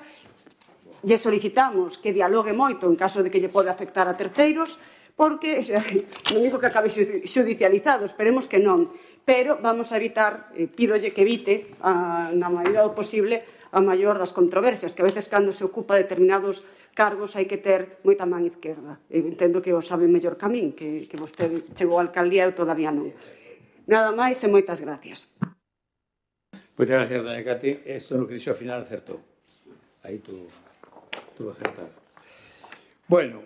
Lle solicitamos que dialogue moito en caso de que lle pode afectar a terceiros, porque non digo que acabe xudicializado, esperemos que non, pero vamos a evitar, pídolle que evite, na medida do posible, a maior das controversias, que a veces cando se ocupa determinados cargos hai que ter moita man izquierda. Entendo que o sabe mellor que a min, que vostede chegou á alcaldía e eu todavía non. Nada máis e moitas gracias. Moitas gracias, doña Cati. Isto no que dixo ao final acertou. Aí tú acertado. Bueno,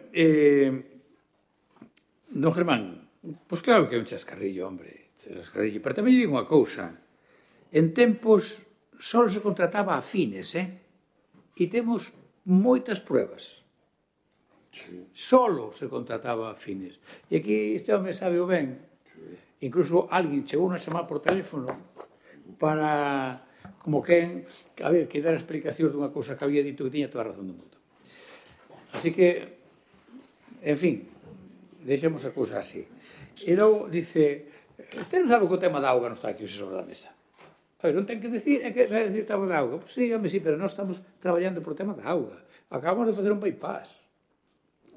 don Germán, pois claro que é un chascarrillo, hombre. Pero tamén digo unha cousa, en tempos só se contrataba a fines, e temos moitas pruebas. Só se contrataba a fines. E aquí este home sabe o ben, incluso alguén chegou a chamar por teléfono para, como que dar explicacións dunha cousa que había dito que tiña toda a razón do mundo. Así que, en fin, deixemos a cousa así. E logo dice... Usted non sabe que o tema da auga non está aquí sobre a mesa. A ver, non ten que decir, é que vai decir o tema da auga. Pois sí, home, sí, pero nós estamos traballando por o tema da auga. Acabamos de facer un bypass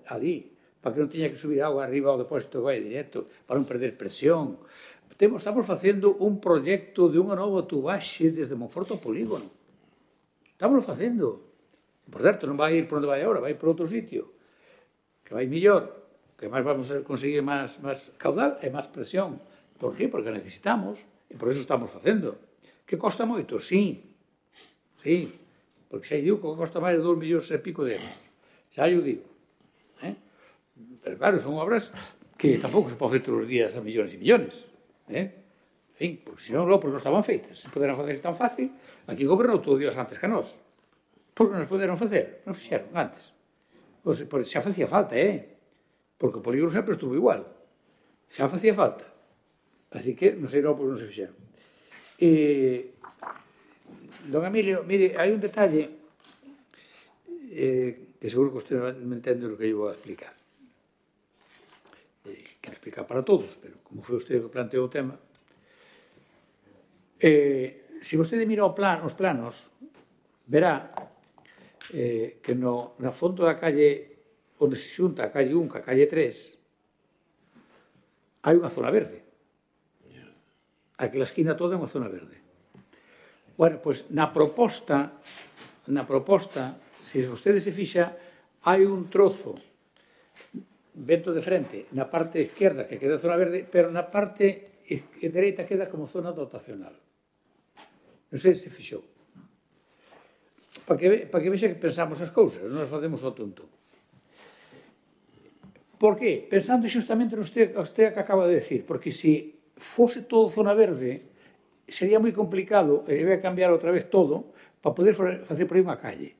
ali, para que non tiña que subir auga arriba ao depósito de vai directo, para non perder presión. Estamos facendo un proxecto de unha nova tubaxe desde Monforte ao polígono. Estamos facendo. Por certo, non vai ir por onde vai agora, vai por outro sitio, que vai mellor, que máis vamos a conseguir máis caudal e máis presión. Por qué? Porque necesitamos, e por eso estamos facendo. Que costa moito? Sí. Sí. Porque xa digo que costa máis de 2 millóns e pico de euros. Xa eu digo. Pero claro, son obras que tampouco se pode facer todos os días a millóns e millóns. En fin, porque senón logo non estaban feitas. Se poderan facer tan fácil, aquí gobernou todo Dios antes que nós. Porque non se poderon facer? Non fixeron antes. Xa facía falta, porque o polígono sempre estuvo igual. Xa facía falta. Así que non sei logo porque non se fixeron. Don Emilio, mire, hai un detalle que seguro que usted me entende o que eu vou a explicar. Quero explicar para todos, pero como foi usted que planteou o tema. Se vostede mira os planos, verá que na fondo da calle onde se xunta a calle 1 ca calle 3 hai unha zona verde. Aquela esquina toda é unha zona verde. Bueno, pois na proposta, se vostede se fixa, hai un trozo vento de frente na parte izquierda que queda zona verde, pero na parte dereita queda como zona dotacional. Non sei se fixou. Para que vexa que pensamos as cousas, non as facemos ao tonto. Por qué? Pensando xustamente no usted que acaba de decir, porque se fose todo zona verde, sería moi complicado, e debe cambiar outra vez todo, para poder facer por aí unha calle.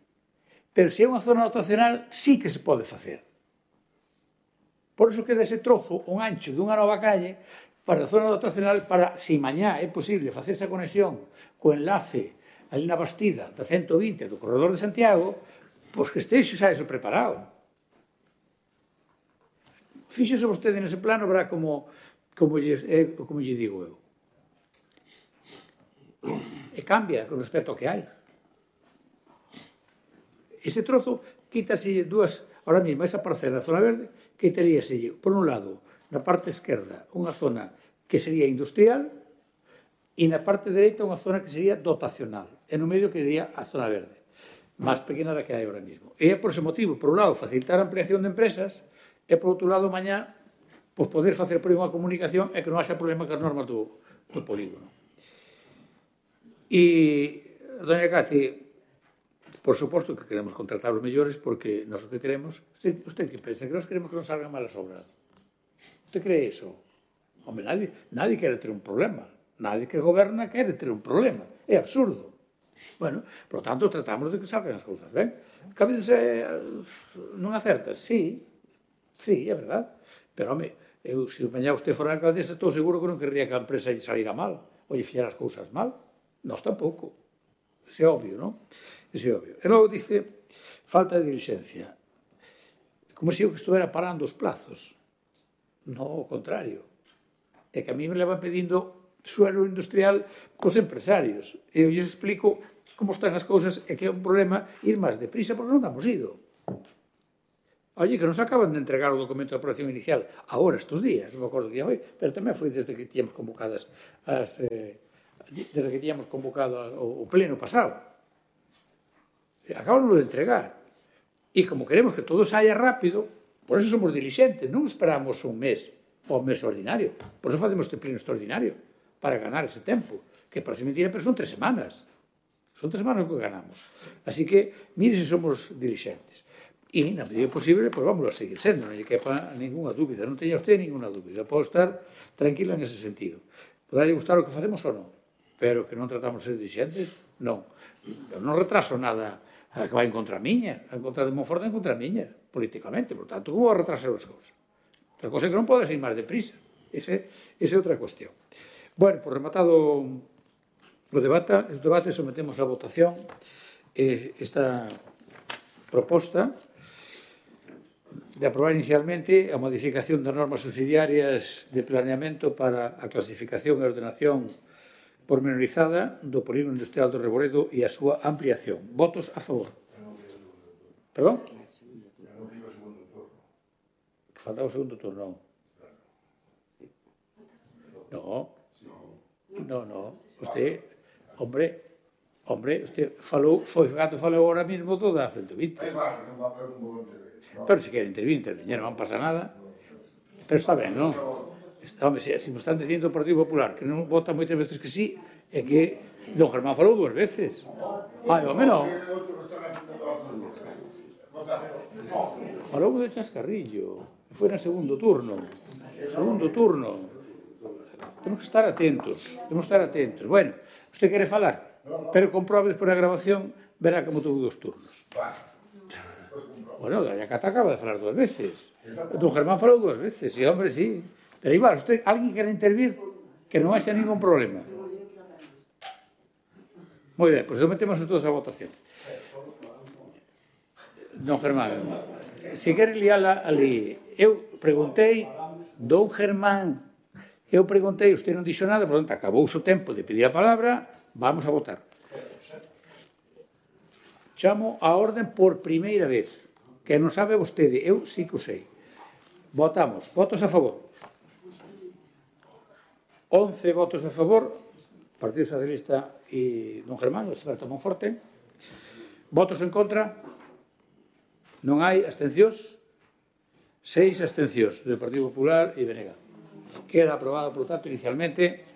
Pero se é unha zona dotacional, sí que se pode facer. Por iso queda ese trozo, un ancho dunha nova calle, para a zona dotacional, para, se mañá é posible facer esa conexión co enlace ali na Bastida da 120 do corredor de Santiago, pois que estexe xa eso preparado. Fíxese vostede nese plano, verá como lle digo eu. E cambia con respecto ao que hai. Ese trozo, quítase dúas, ahora mesmo, esa parcela da zona verde, quitaríase, por un lado, na parte esquerda, unha zona que sería industrial e na parte dereita unha zona que sería dotacional. E no medio quedaría a zona verde, máis pequena da que hai ahora mesmo. E é por ese motivo, por un lado, facilitar a ampliación de empresas e, por outro lado, mañá, pois poder facer por aí unha comunicación e que non haxa problema con as normas do polígono. E, doña Cati, por suposto que queremos contratar os mellores porque nós o que queremos... Usted que pensa? Que nós queremos que non salgan malas obras? Usted cree iso? Home, nadie quere ter un problema. Nadie que goberna quere ter un problema. É absurdo. Bueno, por lo tanto, tratamos de que salgan as cousas, ben? Que a veces non acertas, sí, é verdad. Pero, home, se mañá usted fora alcaldesa, estou seguro que non querría que a empresa lle salira mal ou lle fixera as cousas mal. Nós tampouco. Isso é obvio, non? Isso é obvio. E logo dice, falta de diligencia. Como se eu que estuvera parando os plazos. Non, ao contrario. É que a mí me levan pedindo suelo industrial cos empresarios. E eu lles explico como están as cousas e que é un problema ir máis deprisa porque non damos ido. Oye, que nos acaban de entregar o documento de aprobación inicial agora, estes días, non me acordo que foi, pero tamén foi desde que tíamos convocadas desde que tíamos convocado o pleno pasado. Acabamos de entregar. E como queremos que todo saia rápido, por eso somos dilixentes, non esperamos un mes ou un mes ordinario. Por eso facemos este pleno extraordinario, para ganar ese tempo, que parece mentira, pero son 3 semanas. Son 3 semanas que ganamos. Así que, mire se somos dilixentes. E, na medida posible, pois vamos a seguir sendo, non lle quepa ninguna dúbida, non teña usted ninguna dúbida. Pode estar tranquila en ese sentido. Poderlle gustar o que facemos ou non, pero que non tratamos de ser dilixentes, non. Eu non retraso nada que vai en contra miña, en contra de Monforte, en contra miña, políticamente. Por tanto, como vou a retrasar as cousas? Outra cosa é que non podes ir máis deprisa. Esa é outra cuestión. Bueno, por rematado o debate, sometemos a votación esta proposta de aprobar inicialmente a modificación das normas subsidiarias de planeamento para a clasificación e ordenación pormenorizada do polígono industrial do Reboredo e a súa ampliación. Votos a favor. Perdón? Que faltaba o segundo turno. No. Usted, hombre, usted falou, foi cando falou agora mesmo toda a 120. Pero se quere intervir, non pasa nada. Pero está ben, non? Home, se me están dicindo o Partido Popular que non vota moitas veces que sí, é que don Germán falou 2 veces. Ai, home, non. Falou de chascarrillo. Foi no segundo turno. Temos que estar atentos. Bueno, usted quere falar, pero comprobe despois da grabación, verá como tuvo 2 turnos. Bueno, a Cata acaba de falar 2 veces. Don Germán falou 2 veces, e, hombre, sí. Pero igual, usted, alguén quere intervir, que non haxa ningún problema. Moi ben, pois metemos todos a votación. Don Germán, se quere liala ali, eu preguntei, don Germán, usted non dixo nada, por tanto, acabou o tempo de pedir a palabra, vamos a votar. Chamo a orden por primeira vez, que non sabe vostede, eu sí que o sei. Votamos, votos a favor. 11 votos a favor, Partido Socialista e don Germán, o experto Monforte. Votos en contra? Non hai abstencións? 6 abstencións do Partido Popular e BNG. Queda aprobado, por tanto, inicialmente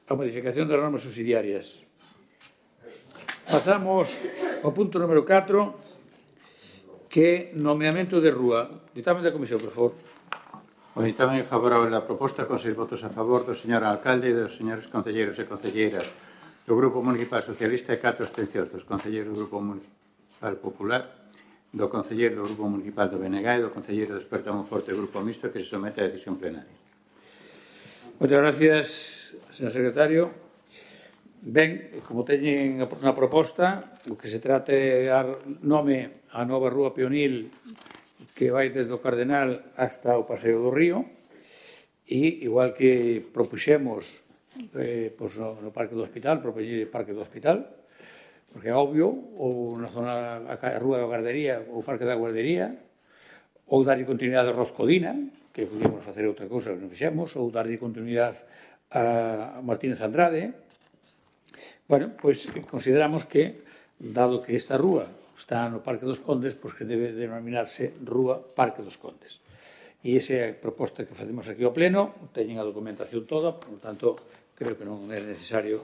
a modificación das normas subsidiarias. Pasamos ao punto número 4, que é nomeamento de rúa. Ditame da comisión, por favor. O ditame favorable á proposta con 6 votos a favor do señor alcalde e dos señores concelleiros e concelleiras do Grupo Municipal Socialista e 4 abstencións dos concelleiros do Grupo Municipal Popular, do concelleiro do Grupo Municipal do BNG e do concelleiro do Experto Monforte do Grupo Mixto que se somete a decisión plenaria. Moitas gracias, señor secretario. Ben, como teñen na proposta, o que se trata é dar nome á nova rúa peonil que vai desde o Cardenal hasta o Paseo do Río, e igual que propuxemos no Parque do Hospital, propoñer o Parque do Hospital, porque é obvio, ou na zona a Rúa da Guardería, ou o Parque da Guardería, ou darlle continuidade a Rozcodina, que podíamos facer outra cousa que non fixemos, ou darlle continuidade a Martínez Andrade. Bueno, pois consideramos que, dado que esta rúa está no Parque dos Condes, pois que debe denominarse Rúa Parque dos Condes. E esa é a proposta que facemos aquí ao Pleno, teñen a documentación toda, por tanto, creo que non é necesario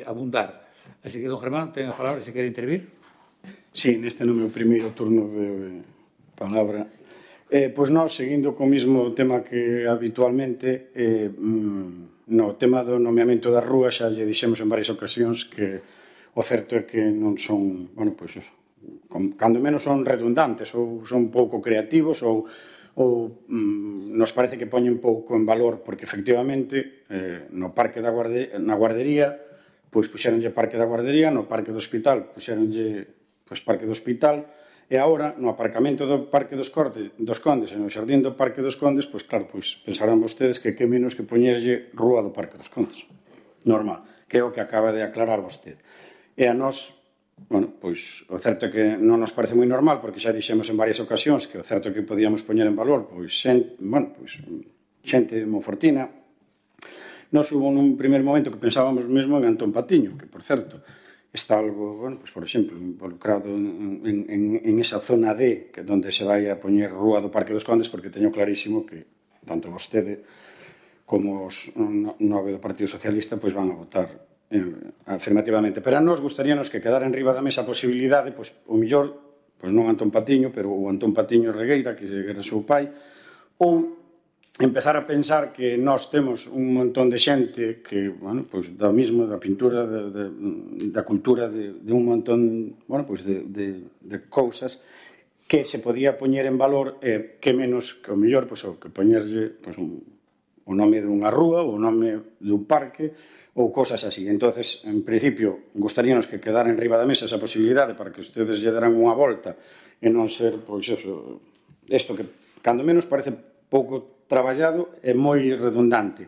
abundar. Así que, don Germán, ten a palabra, se quere intervir. Sí, neste no meu primeiro turno de palabra. Pois nós, seguindo co mismo tema que habitualmente, no tema do nomeamento da rúa, xa lle dixemos en varias ocasións que o certo é que non son, bueno, pois, cando menos son redundantes ou son pouco creativos ou nos parece que poñen pouco en valor porque efectivamente no Parque da Guardería, na Guardería, pois puxeronlle Parque da Guardería, no Parque do Hospital puxeronlle pois Parque do Hospital e agora no aparcamento do Parque dos Condes e no xardín do Parque dos Condes, pois claro, pois pensarán vostedes que menos que poñerlle Rúa do Parque dos Condes. Normal, que é o que acaba de aclarar vostede. E a nós, bueno, pois o certo é que non nos parece moi normal, porque xa dixemos en varias ocasións que o certo é que podíamos poñer en valor, pois, xente monfortina. Nós hubo nun primer momento que pensábamos mesmo en Antón Patiño, que, por certo, está algo, bueno, pois, por exemplo, involucrado en esa zona D, que onde se vai a poñer Rúa do Parque dos Condes, porque teño clarísimo que tanto vostede como os 9 do Partido Socialista pois van a votar afirmativamente, pero a nos gustaríanos que quedara en riba da mesa a posibilidade, pois, o millor, pois non Antón Patiño, pero o Antón Patiño Regueira, que era o seu pai, ou empezar a pensar que nós temos un montón de xente que, bueno, pois, da misma, da pintura, da cultura, de un montón, bueno, pois, de cousas que se podía poñer en valor, que menos, que o millor, pois, o que poñerlle, pois, o nome dunha rúa, ou o nome dun parque, ou cosas así. Entonces, en principio, gustaríanos que quedara en riba da mesa esa posibilidade para que ustedes lle deran unha volta e non ser, pois, eso, isto que, cando menos, parece pouco traballado e moi redundante.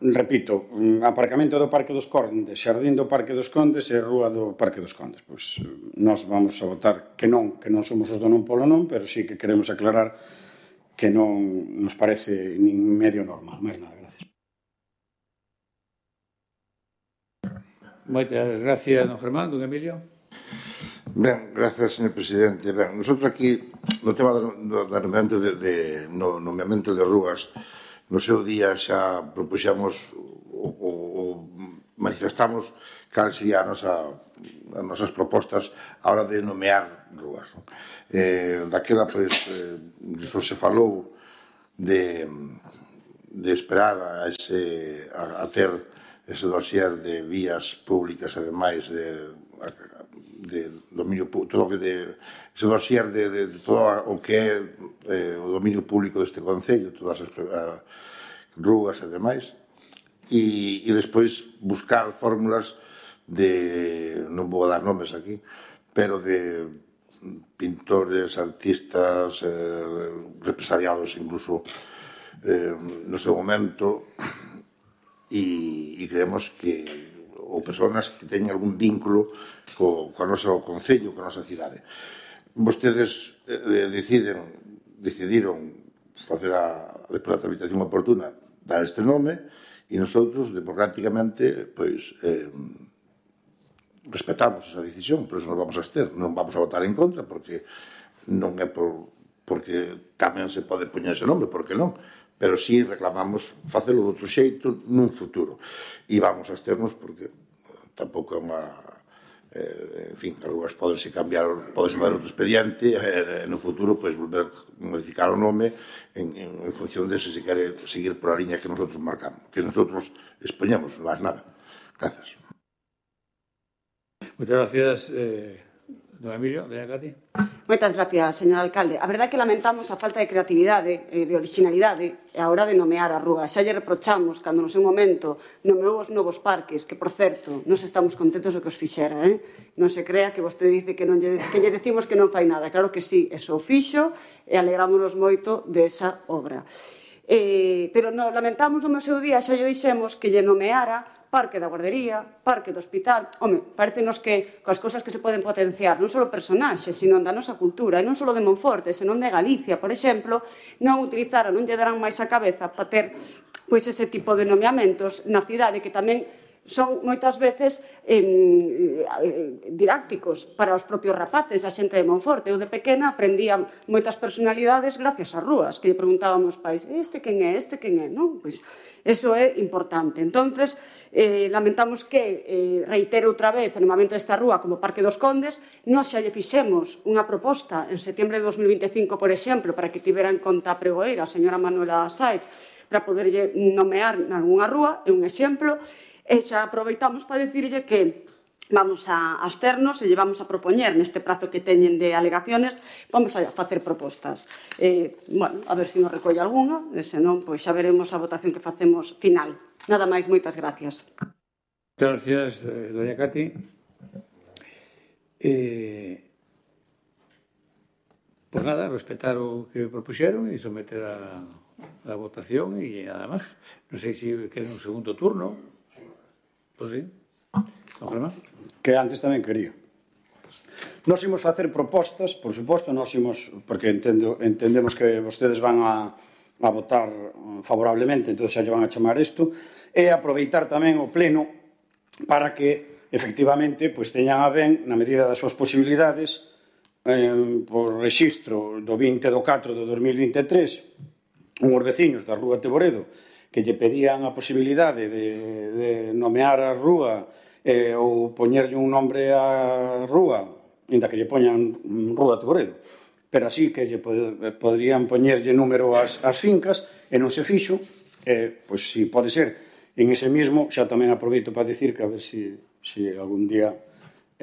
Repito, aparcamento do Parque dos Condes, xardín do Parque dos Condes e rúa do Parque dos Condes. Pois nós vamos a votar que non somos os do non polo non, pero sí que queremos aclarar que non nos parece nin medio normal. Máis nada, gracias. Moitas gracias, don Germán. Don Emilio. Ben, gracias, señor presidente. Ben, nosotros aquí, no tema do nomeamento de rúas, no seu día xa propuxamos ou manifestamos cal serían as nosas propostas a hora de nomear rúas. Daquela, pois, iso se falou de esperar a ter ese dossier de vías públicas e demais de dominio público, ese dossier de todo o que é o dominio público deste Concello, todas as rúas e demais, e despois buscar fórmulas de, non vou dar nomes aquí, pero de pintores, artistas, represaliados incluso no seu momento, e creemos que ou persoas que teñen algún vínculo co noso Concello, coa nosa cidade. Vostedes decidiron facer a tramitación oportuna, dar este nome, e nosotros, democráticamente, pois, respetamos esa decisión, por eso nos vamos a abster. Non vamos a votar en contra, porque non é porque tamén se pode poñer ese nome, porque non, pero sí reclamamos facelo de outro xeito nun futuro. E vamos a absternos porque tampouco é unha... En fin, as rúas podense cambiar, podense fazer outro expediente e no futuro volver a modificar o nome en función de se quere seguir por a liña que nosotros marcamos, que nosotros expoñemos, non máis nada. Gracias. Moitas gracias, don Emilio. Doña Cati. Moitas gracias, señor alcalde. A verdade é que lamentamos a falta de creatividade e de originalidade a hora de nomear a rúa. Xa lle reprochamos cando no seu momento nomeou os novos parques, que, por certo, nos estamos contentos do que os fixera. Non se crea que vostede dice que lle decimos que non fai nada. Claro que sí, eso o fixo e alegrámonos moito desa obra. Pero lamentamos no seu día, xa lle dixemos que lle nomeara Parque da Guardería, Parque do Hospital. Home, parecenos que coas cousas que se poden potenciar, non só personaxes, sino da nosa cultura, e non só de Monforte, senón de Galicia, por exemplo, non utilizaran, non lle darán máis a cabeza para ter pois ese tipo de nomeamentos na cidade que tamén son moitas veces didácticos para os propios rapaces, a xente de Monforte. Eu de pequena aprendía moitas personalidades gracias ás rúas, que lle preguntábamos aos pais, este quen é, non? Pois eso é importante. Entonces, lamentamos que reitere outra vez o nomeamento desta rúa como Parque dos Condes. Nós xa lle fixemos unha proposta en setembro de 2025, por exemplo, para que tivera en conta a pregoeira, a señora Manuela Sáez, para poderlle nomear nalgúnha rúa, é un exemplo. E xa aproveitamos para dicirlle que vamos a absternos e lle vamos a propoñer neste prazo que teñen de alegaciones, vamos a facer propostas. Bueno, a ver se nos recolle algunha, e senón, pois xa veremos a votación que facemos final. Nada máis, moitas gracias. Moitas gracias, doña Cati. Pois nada, respetar o que propuxeron e someter a votación e nada máis. Non sei se queren un segundo turno. Pois sí. Non crema? Que antes tamén quería. Nós imos facer propostas, por suposto, nós imos, porque entendemos que vostedes van a votar favorablemente, entón xa lle van a chamar isto, e aproveitar tamén o pleno para que, efectivamente, pois teñan a ben, na medida das súas posibilidades, por rexistro do 20 do 4 do 2023, unhos veciños da Rúa Teboredo que lle pedían a posibilidade de nomear a rúa ou poñerlle un nombre á rúa, ainda que lle poñan Rúa Teboredo, pero así que lle poderían poñerlle número ás fincas, e non se fixo, pois si pode ser en ese mismo, xa tamén aproveito para dicir que a ver si algún día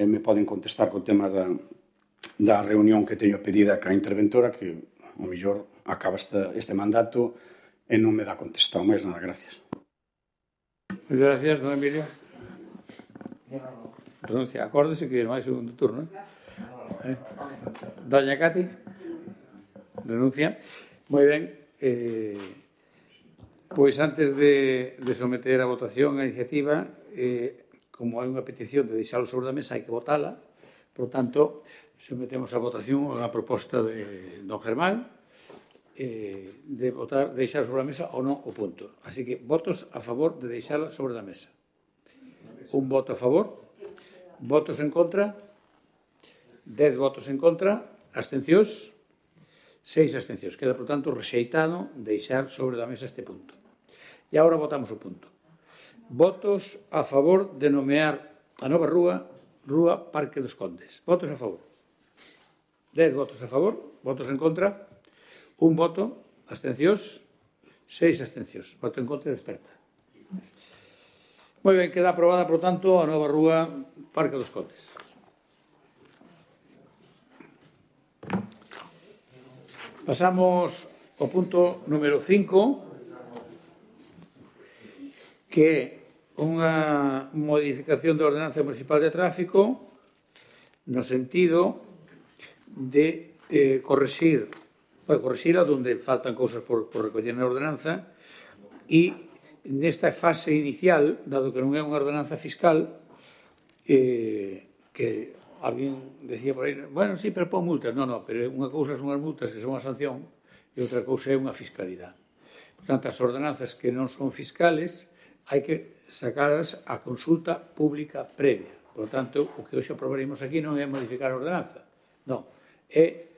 me poden contestar co tema da reunión que teño pedida ca interventora, que o mellor acaba este mandato e non me dá contestado máis nada. Gracias. Moitas gracias, don Emilio. Renuncia. Acórdese que non hai segundo turno. Doña Cati. Renuncia. Moi ben. Pois antes de someter a votación a iniciativa, como hai unha petición de deixalo sobre a mesa, hai que votala. Por tanto, sometemos a votación a proposta de don Germán, de votar, deixar sobre a mesa ou non o punto. Así que votos a favor de deixala sobre a mesa. Un voto a favor. Votos en contra. 10 votos en contra, abstencións, 6 abstencións. Queda, por tanto, rexeitado deixar sobre a mesa este punto. E agora votamos o punto. Votos a favor de nomear a nova rúa Parque dos Condes. Votos a favor. 10 votos a favor, votos en contra, 1 voto, abstencións, 6 abstencións. Voto en contra desperta. Moi ben, queda aprobada, por tanto, a nova rúa Parque dos Condes. Pasamos ao punto número 5, que é unha modificación da Ordenanza Municipal de Tráfico no sentido de correxila onde faltan cousas por recoller na ordenanza e nesta fase inicial, dado que non é unha ordenanza fiscal, que alguén decía por aí, bueno, sí, pero pon multas. Non, pero unha cousa son as multas que son a sanción e outra cousa é unha fiscalidade. Por tanto, as ordenanzas que non son fiscales hai que sacadas a consulta pública previa. Por tanto, o que hoxe aprobaremos aquí non é modificar a ordenanza. Non, é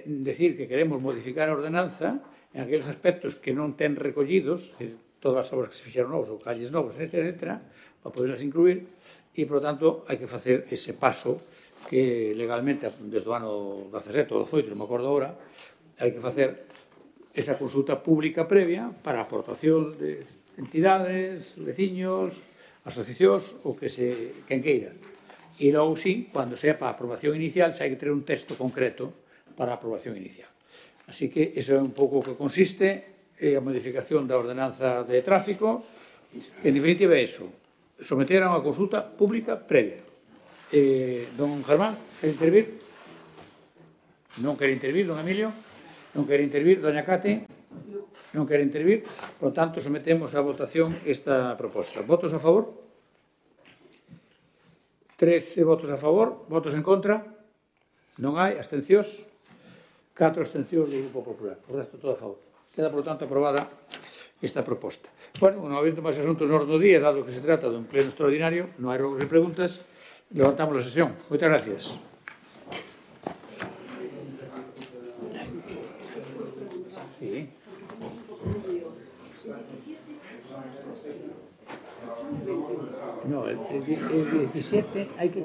decir que queremos modificar a ordenanza en aqueles aspectos que non ten recollidos, todas as obras que se fixeron novos ou calles novos, etc., para poderlas incluir, e, por tanto, hai que facer ese paso que legalmente, desde o ano 17 ou 18, non me acordo agora, hai que facer esa consulta pública previa para a aportación de entidades, veciños, asociacións ou quen queira. E logo, sí, cando sea para a aprobación inicial, xa hai que ter un texto concreto para a aprobación inicial. Así que iso é un pouco o que consiste a modificación da ordenanza de tráfico, que en definitiva é iso, someter a unha consulta pública previa. Don Germán, quere intervir? Non quere intervir, don Emilio? Non quere intervir, doña Cate? Non quere intervir? Por tanto, sometemos a votación esta proposta. Votos a favor? 13 votos a favor, votos en contra? Non hai, abstencións? 4 abstencións do Grupo Popular. O resto todo a favor. Queda, por tanto, aprobada esta proposta. Bueno, non habendo máis asuntos no orden do día, dado que se trata dun pleno extraordinario, non hai rogos e preguntas, levantamos a sesión. Moitas gracias. Sí. No, el 17 hai que